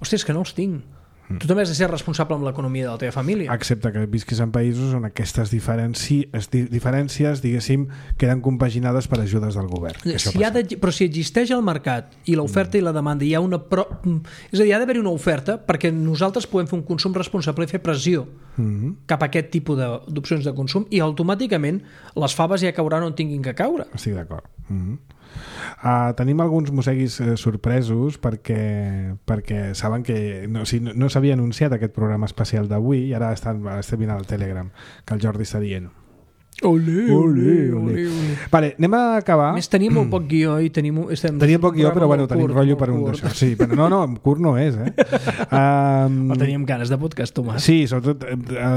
hòstia, és que no els tinc. Tu també has de ser responsable amb l'economia de la teva família. Excepte que visquis en països on aquestes diferències, diguéssim, queden compaginades per ajudes del govern. Però si existeix el mercat i l'oferta i la demanda, és a dir, ha d'haver-hi una oferta perquè nosaltres puguem fer un consum responsable i fer pressió cap a aquest tipus d'opcions de consum i automàticament les faves ja cauran on tinguin que caure. Estic d'acord. Tenim alguns mosseguis sorpresos perquè saben que no s'havia anunciat aquest programa especial d'avui i ara estem mirant al Telegram que el Jordi està dient Olé. Vale, anem a acabar. Més tenim molt poc guió i tenim poc guió, però bueno, tenim rotllo per un d'això. Sí, però no, curt no és, Però teníem ganes de podcast, Tomàs. Sí, sobretot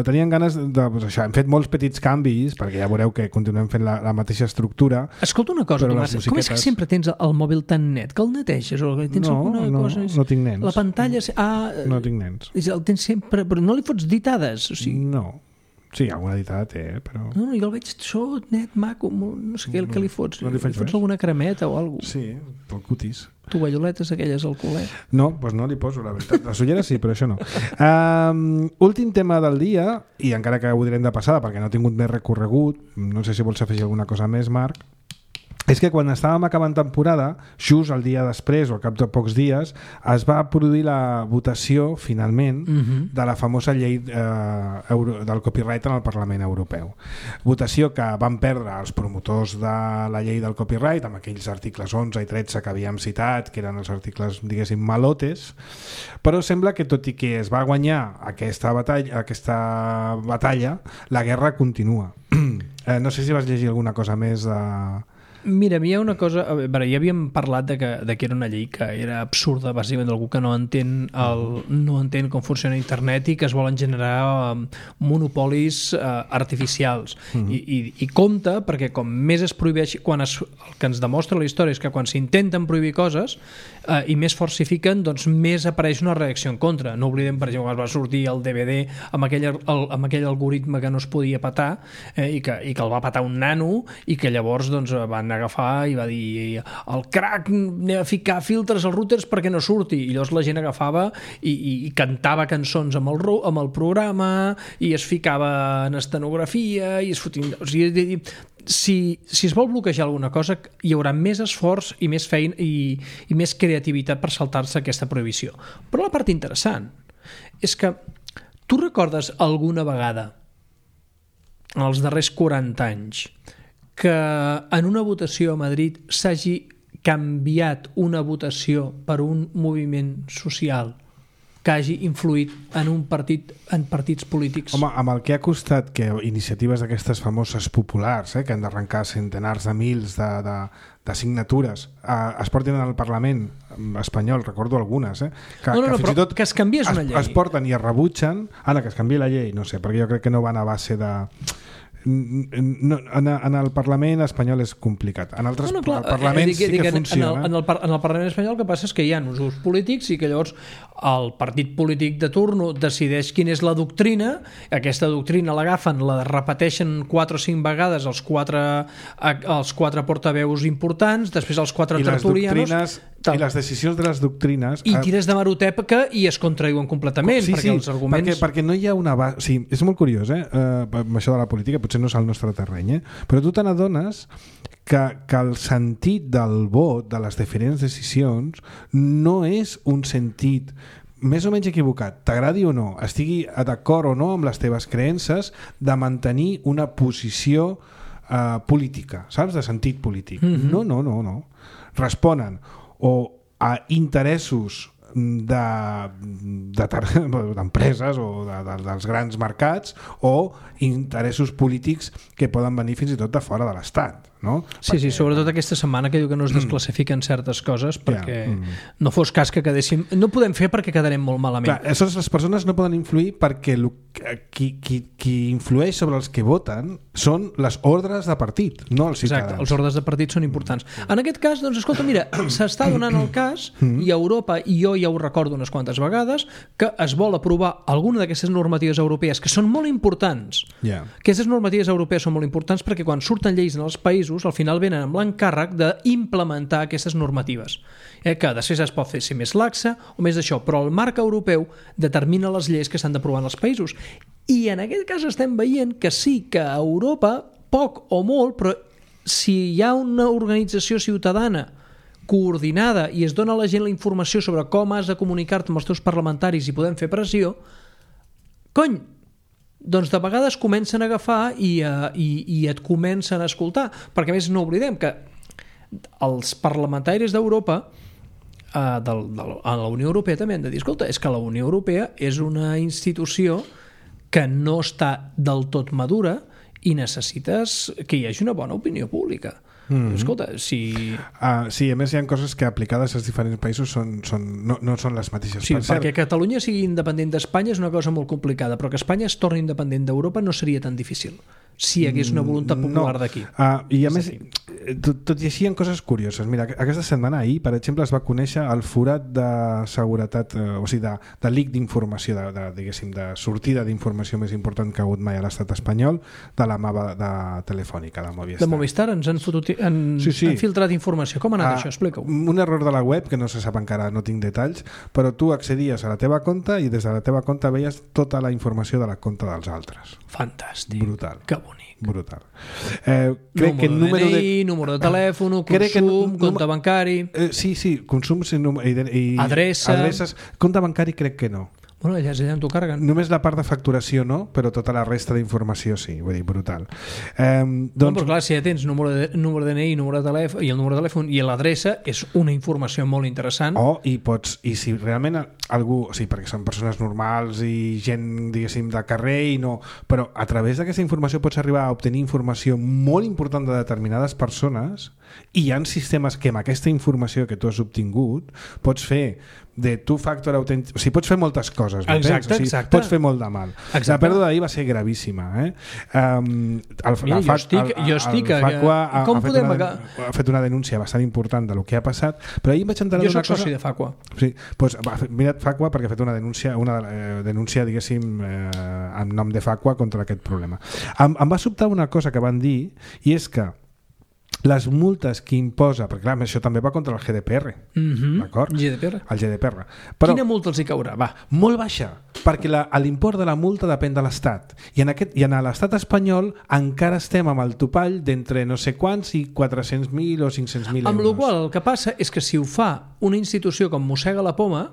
teníem ganes de això. Hem fet molts petits canvis, perquè ja veureu que continuem fent la mateixa estructura. Escolta una cosa, Tomàs, com és que sempre tens el mòbil tan net? Que el neteges? O tens alguna cosa? No tinc nens. La pantalla... No tinc nens. El tens sempre... Però no li fots ditades? O sigui... No. Sí, alguna editada té, però... No, jo el veig net, maco, no sé què, el que li fots. No li fots alguna cremeta o alguna cosa. Sí, pel cutis. Tovalloletes aquelles al culet. No, doncs no li poso, la veritat. Les ulleres sí, però això no. Últim tema del dia, i encara que ho direm de passada perquè no ha tingut més recorregut, no sé si vols afegir alguna cosa més, Marc, és que quan estàvem acabant temporada, just el dia després o al cap de pocs dies, es va produir la votació, finalment, de la famosa llei del copyright en el Parlament Europeu. Votació que van perdre els promotors de la llei del copyright, amb aquells articles 11 i 13 que havíem citat, que eren els articles, diguéssim, malotes, però sembla que tot i que es va guanyar aquesta batalla, la guerra continua. No sé si vas llegir alguna cosa més de... Mira, hi ha una cosa... ja havíem parlat de que era una llei que era absurda, bàsicament d'algú que no entén com funciona internet i que es volen generar monopolis artificials. I compte, perquè com més es prohibeix... El que ens demostra la història és que quan s'intenten prohibir coses i més fort s'hi fiquen, doncs més apareix una reacció en contra. No oblidem, per exemple, que va sortir el DVD amb aquell algoritme que no es podia petar i que el va petar un nano i que llavors doncs, van agafar i va dir el crack, anem a ficar filtres als routers perquè no surti, i llavors la gent agafava i cantava cançons amb el programa i es ficava en estenografia i es fotia... O sigui, si es vol bloquejar alguna cosa hi haurà més esforç i més feina i més creativitat per saltar-se aquesta prohibició. Però la part interessant és que tu recordes alguna vegada en els darrers 40 anys que en una votació a Madrid s'hagi canviat una votació per un moviment social que hagi influït en partits polítics? Home, amb el que ha costat que iniciatives d'aquestes famoses populars, que han d'arrencar centenars de mils de signatures es portin al Parlament espanyol, recordo algunes, que fins i tot que es canviés una llei. Es porten i es rebutgen, que es canviï la llei, no sé, perquè jo crec que no van a base de... en el Parlament espanyol és complicat. En altres parlaments sí que funciona. En el Parlament espanyol el que passa és que hi ha uns polítics i que llavors el partit polític de turno decideix quina és la doctrina, aquesta doctrina l'agafen, la repeteixen 4 o 5 vegades els quatre portaveus importants, després els 4 tertulianos... I les decisions de les doctrines... I tires de marotèpica i es contradiuen completament, perquè els arguments... Perquè no hi ha una base... Sí, és molt curiós, amb això de la política, potser no és el nostre terreny, però tu te n'adones que el sentit del vot, de les diferents decisions, no és un sentit més o menys equivocat, t'agradi o no, estigui d'acord o no amb les teves creences, de mantenir una posició política, saps? De sentit polític. No. Responen o a interessos d'empreses o dels grans mercats o interessos polítics que poden venir fins i tot de fora de l'Estat, no? Sí, sobretot aquesta setmana que diu que no es desclassifiquen certes coses perquè no fos cas que quedéssim... No podem fer perquè quedarem molt malament. Clar, les persones no poden influir perquè qui influeix sobre els que voten són les ordres de partit, no els ciutadans. Exacte, els ordres de partit són importants. En aquest cas, doncs, escolta, mira, s'està donant el cas i a Europa, i jo ja ho recordo unes quantes vegades, que es vol aprovar alguna d'aquestes normatives europees que són molt importants. Aquestes normatives europees són molt importants perquè quan surten lleis en els països al final venen amb l'encàrrec d'implementar aquestes normatives, que després es pot fer ser més laxa o més d'això, però el marc europeu determina les lleis que s'han d'aprovar en els països, i en aquest cas estem veient que sí, que a Europa, poc o molt, però si hi ha una organització ciutadana coordinada i es dona a la gent la informació sobre com has de comunicar-te amb els teus parlamentaris i podem fer pressió, doncs de vegades comencen a agafar i et comencen a escoltar, perquè a més no oblidem que els parlamentaris d'Europa a la Unió Europea també han de dir, escolta, és que la Unió Europea és una institució que no està del tot madura i necessites que hi hagi una bona opinió pública. Escolta, si... Sí, a més hi ha coses que aplicades als diferents països no són les mateixes. Sí, perquè Catalunya sigui independent d'Espanya és una cosa molt complicada, però que Espanya es torni independent d'Europa no seria tan difícil. si hi hagués una voluntat popular d'aquí. I a més, tot i així hi ha coses curioses. Mira, aquesta setmana, ahir, per exemple, es va conèixer el forat de seguretat, o sigui, de leak d'informació, diguéssim, de sortida d'informació més important que ha hagut mai a l'estat espanyol, de la mava de Telefònica, de Movistar. De Movistar ens han filtrat informació. Com ha anat això? Explica-ho. Un error de la web, que no se sap encara, no tinc detalls, però tu accedies a la teva compte i des de la teva compte veies tota la informació de la compte dels altres. Fantàstic. Brutal. Que bonic. Brutal. Crec que número de DNI, número de telèfon, consum, compte bancari... Sí, consums i adreces. Compte bancari crec que no. Bueno, allà t'ho carreguen. Només la part de facturació no, però tota la resta d'informació sí, vull dir, brutal. Però clar, si ja tens número de DNI, número de telèfon, i el número de telèfon i l'adreça, és una informació molt interessant. I si realment algú, o sigui, perquè són persones normals i gent, diguéssim, de carrer i no, però a través d'aquesta informació pots arribar a obtenir informació molt important de determinades persones i hi ha sistemes que amb aquesta informació que tu has obtingut pots fer de two-factor authentic... O sigui, pots fer moltes coses. Exacte, o sigui, exacte. Pots fer molt de mal. Exacte. La pèrdua d'ahir va ser gravíssima. Jo estic... Com podem... Ha fet una denúncia bastant important del que ha passat, però ahir vaig enterar d'una cosa... Jo soc soci de Facua. Sí, doncs, mira't Facua perquè ha fet una denúncia, diguéssim, en nom de Facua contra aquest problema. Em va sobtar una cosa que van dir, i és que les multes que imposa, perquè clar, això també va contra el GDPR, d'acord? GDPR. El GDPR. Però, quina multa els hi caurà? Va. Molt baixa, perquè l'import de la multa depèn de l'Estat. I en l'estat espanyol encara estem amb el topall d'entre no sé quants i 400.000 o 500.000 euros. Amb la qual el que passa és que si ho fa una institució com Mossega la Poma,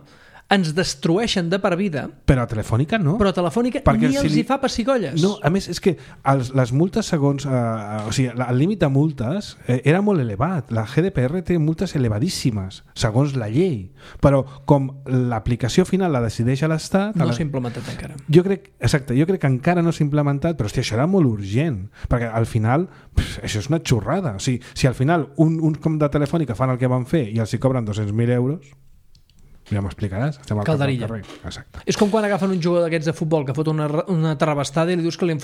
ens destrueixen de per vida. Però a Telefònica no. Però a Telefònica perquè ni els hi fa pessigolles. No, a més, és que les multes segons... o sigui, el límit de multes era molt elevat. La GDPR té multes elevadíssimes, segons la llei. Però com l'aplicació final la decideix a l'Estat... No s'ha implementat encara. Jo crec que encara no s'ha implementat, però hòstia, això era molt urgent. Perquè al final, això és una xorrada. O sigui, si al final un com de Telefònica fan el que van fer i els hi cobren 200.000 euros... Ja m'explicaràs? Calderilla. És com quan agafen un jugador d'aquests de futbol que fot una terrabastada i li diuen que li han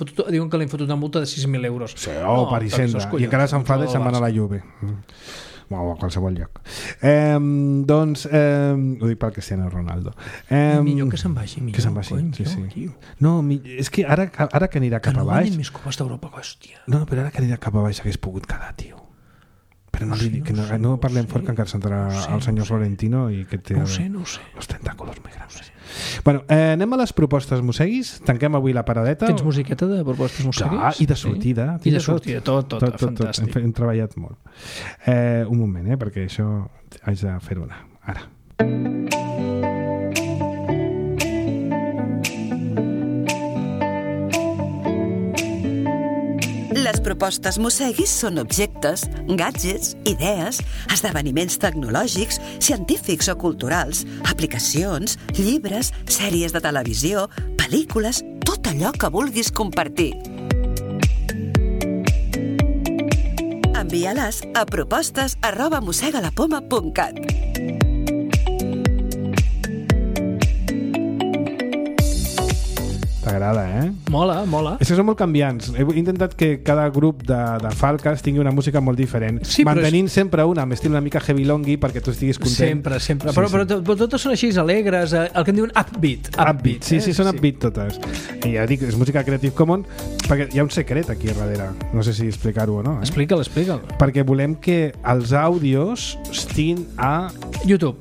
fotut una multa de 6.000 euros. Sí, per Hisenda. I encara s'enfada i se'n van a la Juve. O a qualsevol lloc. Doncs, ho dic pel Cristiano Ronaldo. Millor que se'n vagi. Que se'n vagi, sí. No, és que ara que anirà cap a baix... Que no guanyen més copes d'Europa, hòstia. No, però ara que anirà cap a baix hagués pogut quedar, tio. Però no parlem fort que encara s'entrarà el senyor Florentino i que té els tentáculos més grans. Bueno, anem a les propostes Mosseguis. Tanquem avui la paradeta. Tens musiqueta de propostes Mosseguis? I de sortida. I de sortida, tot fantàstic. Hem treballat molt. Un moment, perquè això haig de fer una. Ara. Les propostes Mosseguis són objectes, gadgets, idees, esdeveniments tecnològics, científics o culturals, aplicacions, llibres, sèries de televisió, pel·lícules, tot allò que vulguis compartir. Envia-les a propostes@mossegalapoma.cat. T'agrada, Mola. És que són molt canviants. He intentat que cada grup de Falques tingui una música molt diferent, sí, mantenint sempre una amb estil una mica heavy longy perquè tu estiguis content. Sempre. Però totes són així alegres, el que en diuen upbeat. Sí, són upbeat totes. I ja dic, és música Creative Commons perquè hi ha un secret aquí darrere. No sé si explicar-ho o no. Explica'l. Perquè volem que els àudios estiguin a YouTube.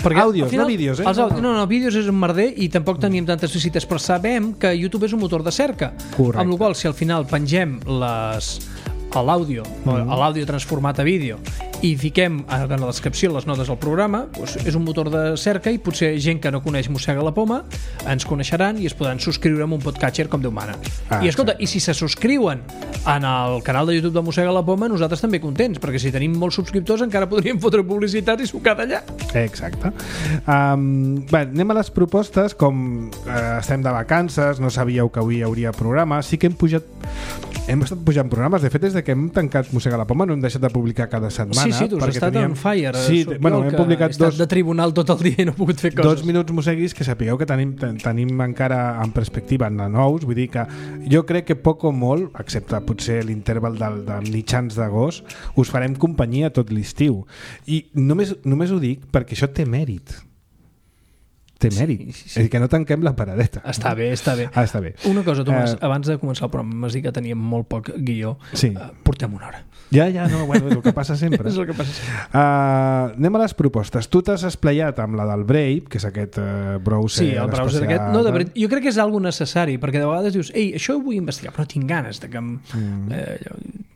Perquè àudios, no vídeos, No, vídeos és un merder i tampoc teníem tantes visites, però sabem que YouTube és un motor de cerca. Correcte. Amb la qual cosa, si al final pengem l'àudio, l'àudio transformat a vídeo i fiquem en la descripció les notes del programa, doncs és un motor de cerca i potser gent que no coneix Mossega la Poma ens coneixeran i es podran subscriure amb un podcatcher com Déu mana. I escolta, i si se subscriuen en el canal de YouTube de Mossega la Poma, nosaltres també contents, perquè si tenim molts subscriptors encara podríem fotre publicitat i sucar d'allà. Exacte. Bé, anem a les propostes. Com estem de vacances, no sabíeu que avui hi hauria programa, sí que hem pujat hem estat pujant programes. De fet, des que hem tancat Mossega la Poma no hem deixat de publicar cada setmana. Sí, tu has estat on fire. Sí, hem publicat he estat de tribunal tot el dia i no he pogut fer coses. 2 minuts mosseguis, que sapigueu que tenim encara en perspectiva de nous. Vull dir que jo crec que poc o molt, excepte potser l'interval de mitjans d'agost, us farem companyia tot l'estiu. I només ho dic perquè això té mèrit. Té mèrit. Sí. És a dir, que no tanquem la paradeta. Està bé. Està bé. Una cosa, Tomàs, abans de començar el programa m'has dit que teníem molt poc guió. Sí. Portem una hora. Ja, no, bueno, és el que passa sempre. És el que passa sempre. Anem a les propostes. Tu t'has esplayat amb la del Brave, que és aquest browser. Sí, el browser aquest. No, de veritat, jo crec que és algo necessari, perquè de vegades dius, ei, això ho vull investigar, però no tinc ganes de que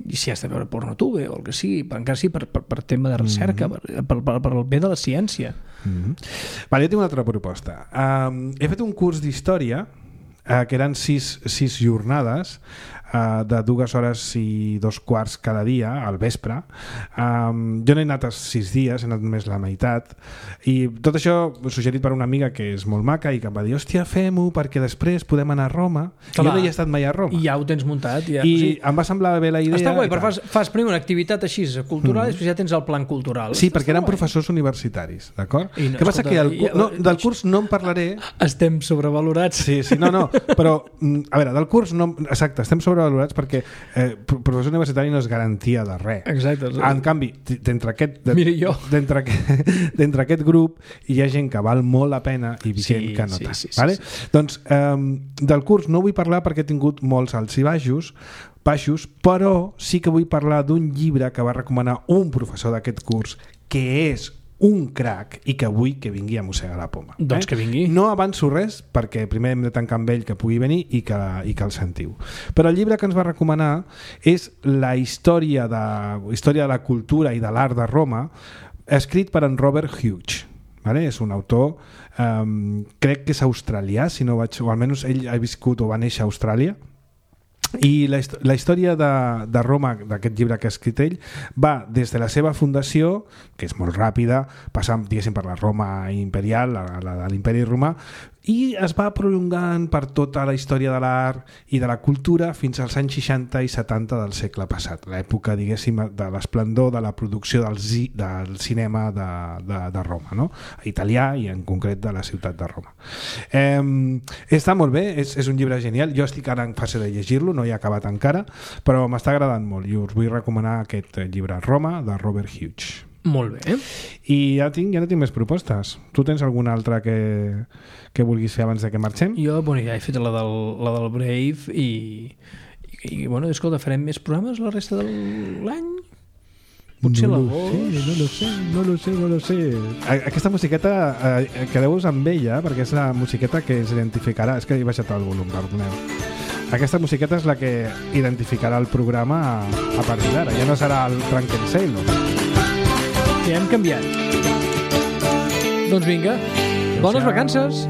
i si has de veure PornoTube o el que sigui, encara sí, per tema de recerca, per el bé de la ciència. Vale, jo tinc una altra proposta. He fet un curs d'història que eren 6 jornades de 2 hores i 2 quarts cada dia al vespre. Jo no he anat els 6 dies, he anat només la meitat, i tot això suggerit per una amiga que és molt maca i que em va dir, hòstia, fem-ho perquè després podem anar a Roma. Jo no hi he estat mai a Roma. I ja ho tens muntat. Ja. I em va semblar bé la idea. Està guai, però fas primer una activitat així cultural i després ja tens el plan cultural. Sí, perquè eren professors universitaris, d'acord? Què passa? Que del curs no en parlaré. Estem sobrevalorats. Sí, no, però a veure, del curs no, exacte, estem sobrevalorats perquè professor universitari no és garantia de res. Exacte. En canvi, d'entre aquest grup hi ha gent que val molt la pena i gent que no tant. Vale? Doncs del curs no vull parlar perquè he tingut molts alts i baixos, però sí que vull parlar d'un llibre que va recomanar un professor d'aquest curs, que és un crac i que vull que vingui a Mossegar la Poma. Doncs que vingui. No avanço res perquè primer hem de tancar amb ell que pugui venir i que el sentiu. Però el llibre que ens va recomanar és la història de la cultura i de l'art de Roma, escrit per en Robert Hughes. Vale? És un autor, crec que és australià, o almenys ell ha viscut o va néixer a Austràlia. I la història de Roma, d'aquest llibre que ha escrit ell, va des de la seva fundació, que és molt ràpida, passant, diguéssim, per la Roma imperial, la de l'imperi romà, i es va prolongant per tota la història de l'art i de la cultura fins als anys 60 i 70 del segle passat, l'època, diguéssim, de l'esplendor de la producció del cinema de Roma, no? Italià i en concret de la ciutat de Roma. Està molt bé, és un llibre genial. Jo estic ara en fase de llegir-lo, no he acabat encara, però m'està agradant molt i us vull recomanar aquest llibre, Roma, de Robert Hughes. Molt bé. I ja no tinc més propostes. Tu tens alguna altra que vulguis fer abans de que marxem? Jo, ja he fet la del Brave i bueno, escolta, farem més programes la resta de l'any? Potser l'agost? No lo sé. Aquesta musiqueta, quedeu-vos amb ella, perquè és la musiqueta que es identificarà. És que he baixat el volum, perdoneu. Aquesta musiqueta és la que identificarà el programa a partir d'ara. Ja no serà el Drunken Sailor. Ja hem canviat. Doncs vinga, bones vacances!